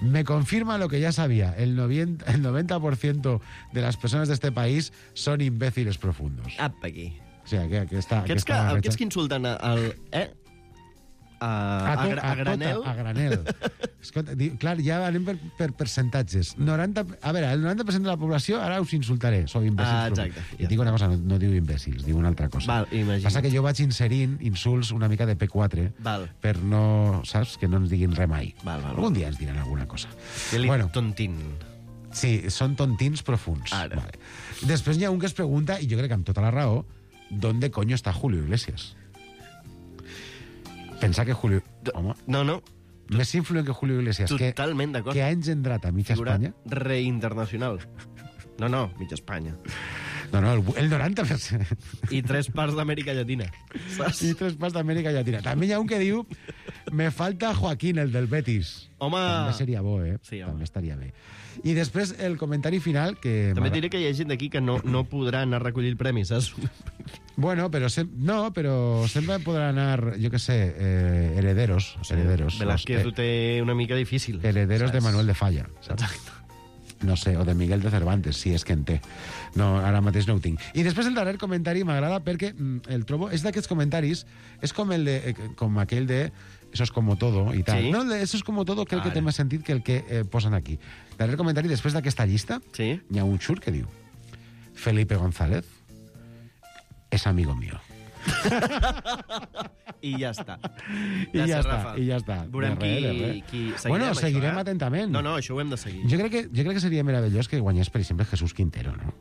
Me confirma lo que ya sabía. El noventa, el noventa por ciento de las personas de este país son imbéciles profundos. Apa, aquí. O sea, que, que està... Aquests que, està aquests que insulten al... Eh? A, a, a, to, gra- a granel? Tota, a granel. Escolta, di, clar, ja anem per, per percentatges. noranta, a veure, el noranta per cent de la població, ara us insultaré, sou imbècils. Ah, exacte. profunds. I et dic una cosa, no, no diu imbècils, diu una altra cosa. Val, imagina't. Passa que jo vaig inserint insults una mica de P quatre Val. per no, saps, que no ens diguin res mai. Val, val, Algun val. dia ens diran alguna cosa. Eli Bueno. tontín. Sí, són tontins profunds. Ara. Vale. Després hi ha un que es pregunta, i jo crec que amb tota la raó, ¿dónde coño está Julio Iglesias? Pensar que Julio... Home, No, no, més influent que Julio Iglesias, que, totalment d'acord. que ha engendrat a mitja Figura Espanya. reinternacional. No, no, mitja Espanya. No, no, el, el noranta per cent. I tres parts d'Amèrica Llatina. Saps? I tres parts d'Amèrica Llatina. També hi ha un que diu me falta Joaquín, el del Betis. Home! També seria bo, eh? Sí, home. També estaria bé. I després el comentari final, que... També m'agrada- diré que hi ha gent d'aquí que no, no podrà anar a recollir el premi, saps? Bueno, però sem no, però sempre podrà anar, jo que sé, eh, herederos. herederos Velázquez los, ho té una mica difícil. herederos de saps? Manuel de Falla. Saps? No sé, o de Miguel de Cervantes, si és que en té. No, ara mateix no ho tinc. I després el darrer comentari m'agrada perquè mm, el trobo... És d'aquests comentaris, és com el de, eh, com aquell de eso es como todo i tal. Sí? No, el de eso es como todo crec que Ara. té més sentit que el que eh, posen aquí. Darrer comentari, després d'aquesta llista, Sí? hi ha un xur que diu Felipe González és amigo mío. I ja està. I ja Gràcies, està, Rafa. i ja està. Veurem De res, de qui, res. qui seguirem Bueno, això, seguirem eh? atentament. No, no, això ho hem de seguir. Jo crec, que, jo crec que seria meravellós que guanyés, per exemple, Jesús Quintero, no?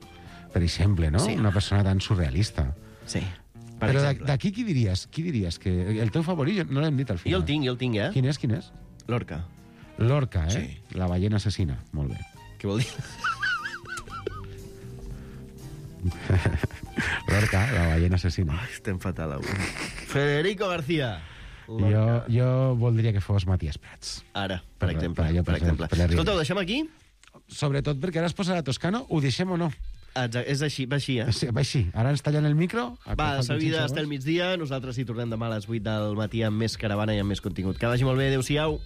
Per exemple, no? Sí. Una persona tan surrealista. Sí, per Però exemple. d'aquí qui diries? Qui diries? Que el teu favorit, no l'hem dit al final. Jo el tinc, jo el tinc, eh? Quin és, quin és? Lorca. Lorca, eh? Sí. La ballena assassina. Molt bé. Què vol dir? Lorca, la ballena assassina. Ai, estem fatal avui. Federico García. Jo, jo voldria que fos Matías Prats. Ara, per Per- exemple. per allò, Per per- exemple. per la Escolta, ho deixem aquí? Sobretot perquè ara es posarà Toscano, ho deixem o no? Exacte, és així, va així, eh? Sí, va així. Ara ens tallen el micro. Va, seguida està el migdia, nosaltres hi tornem demà a les vuit del matí amb més caravana i amb més contingut. Que vagi molt bé, adéu-siau.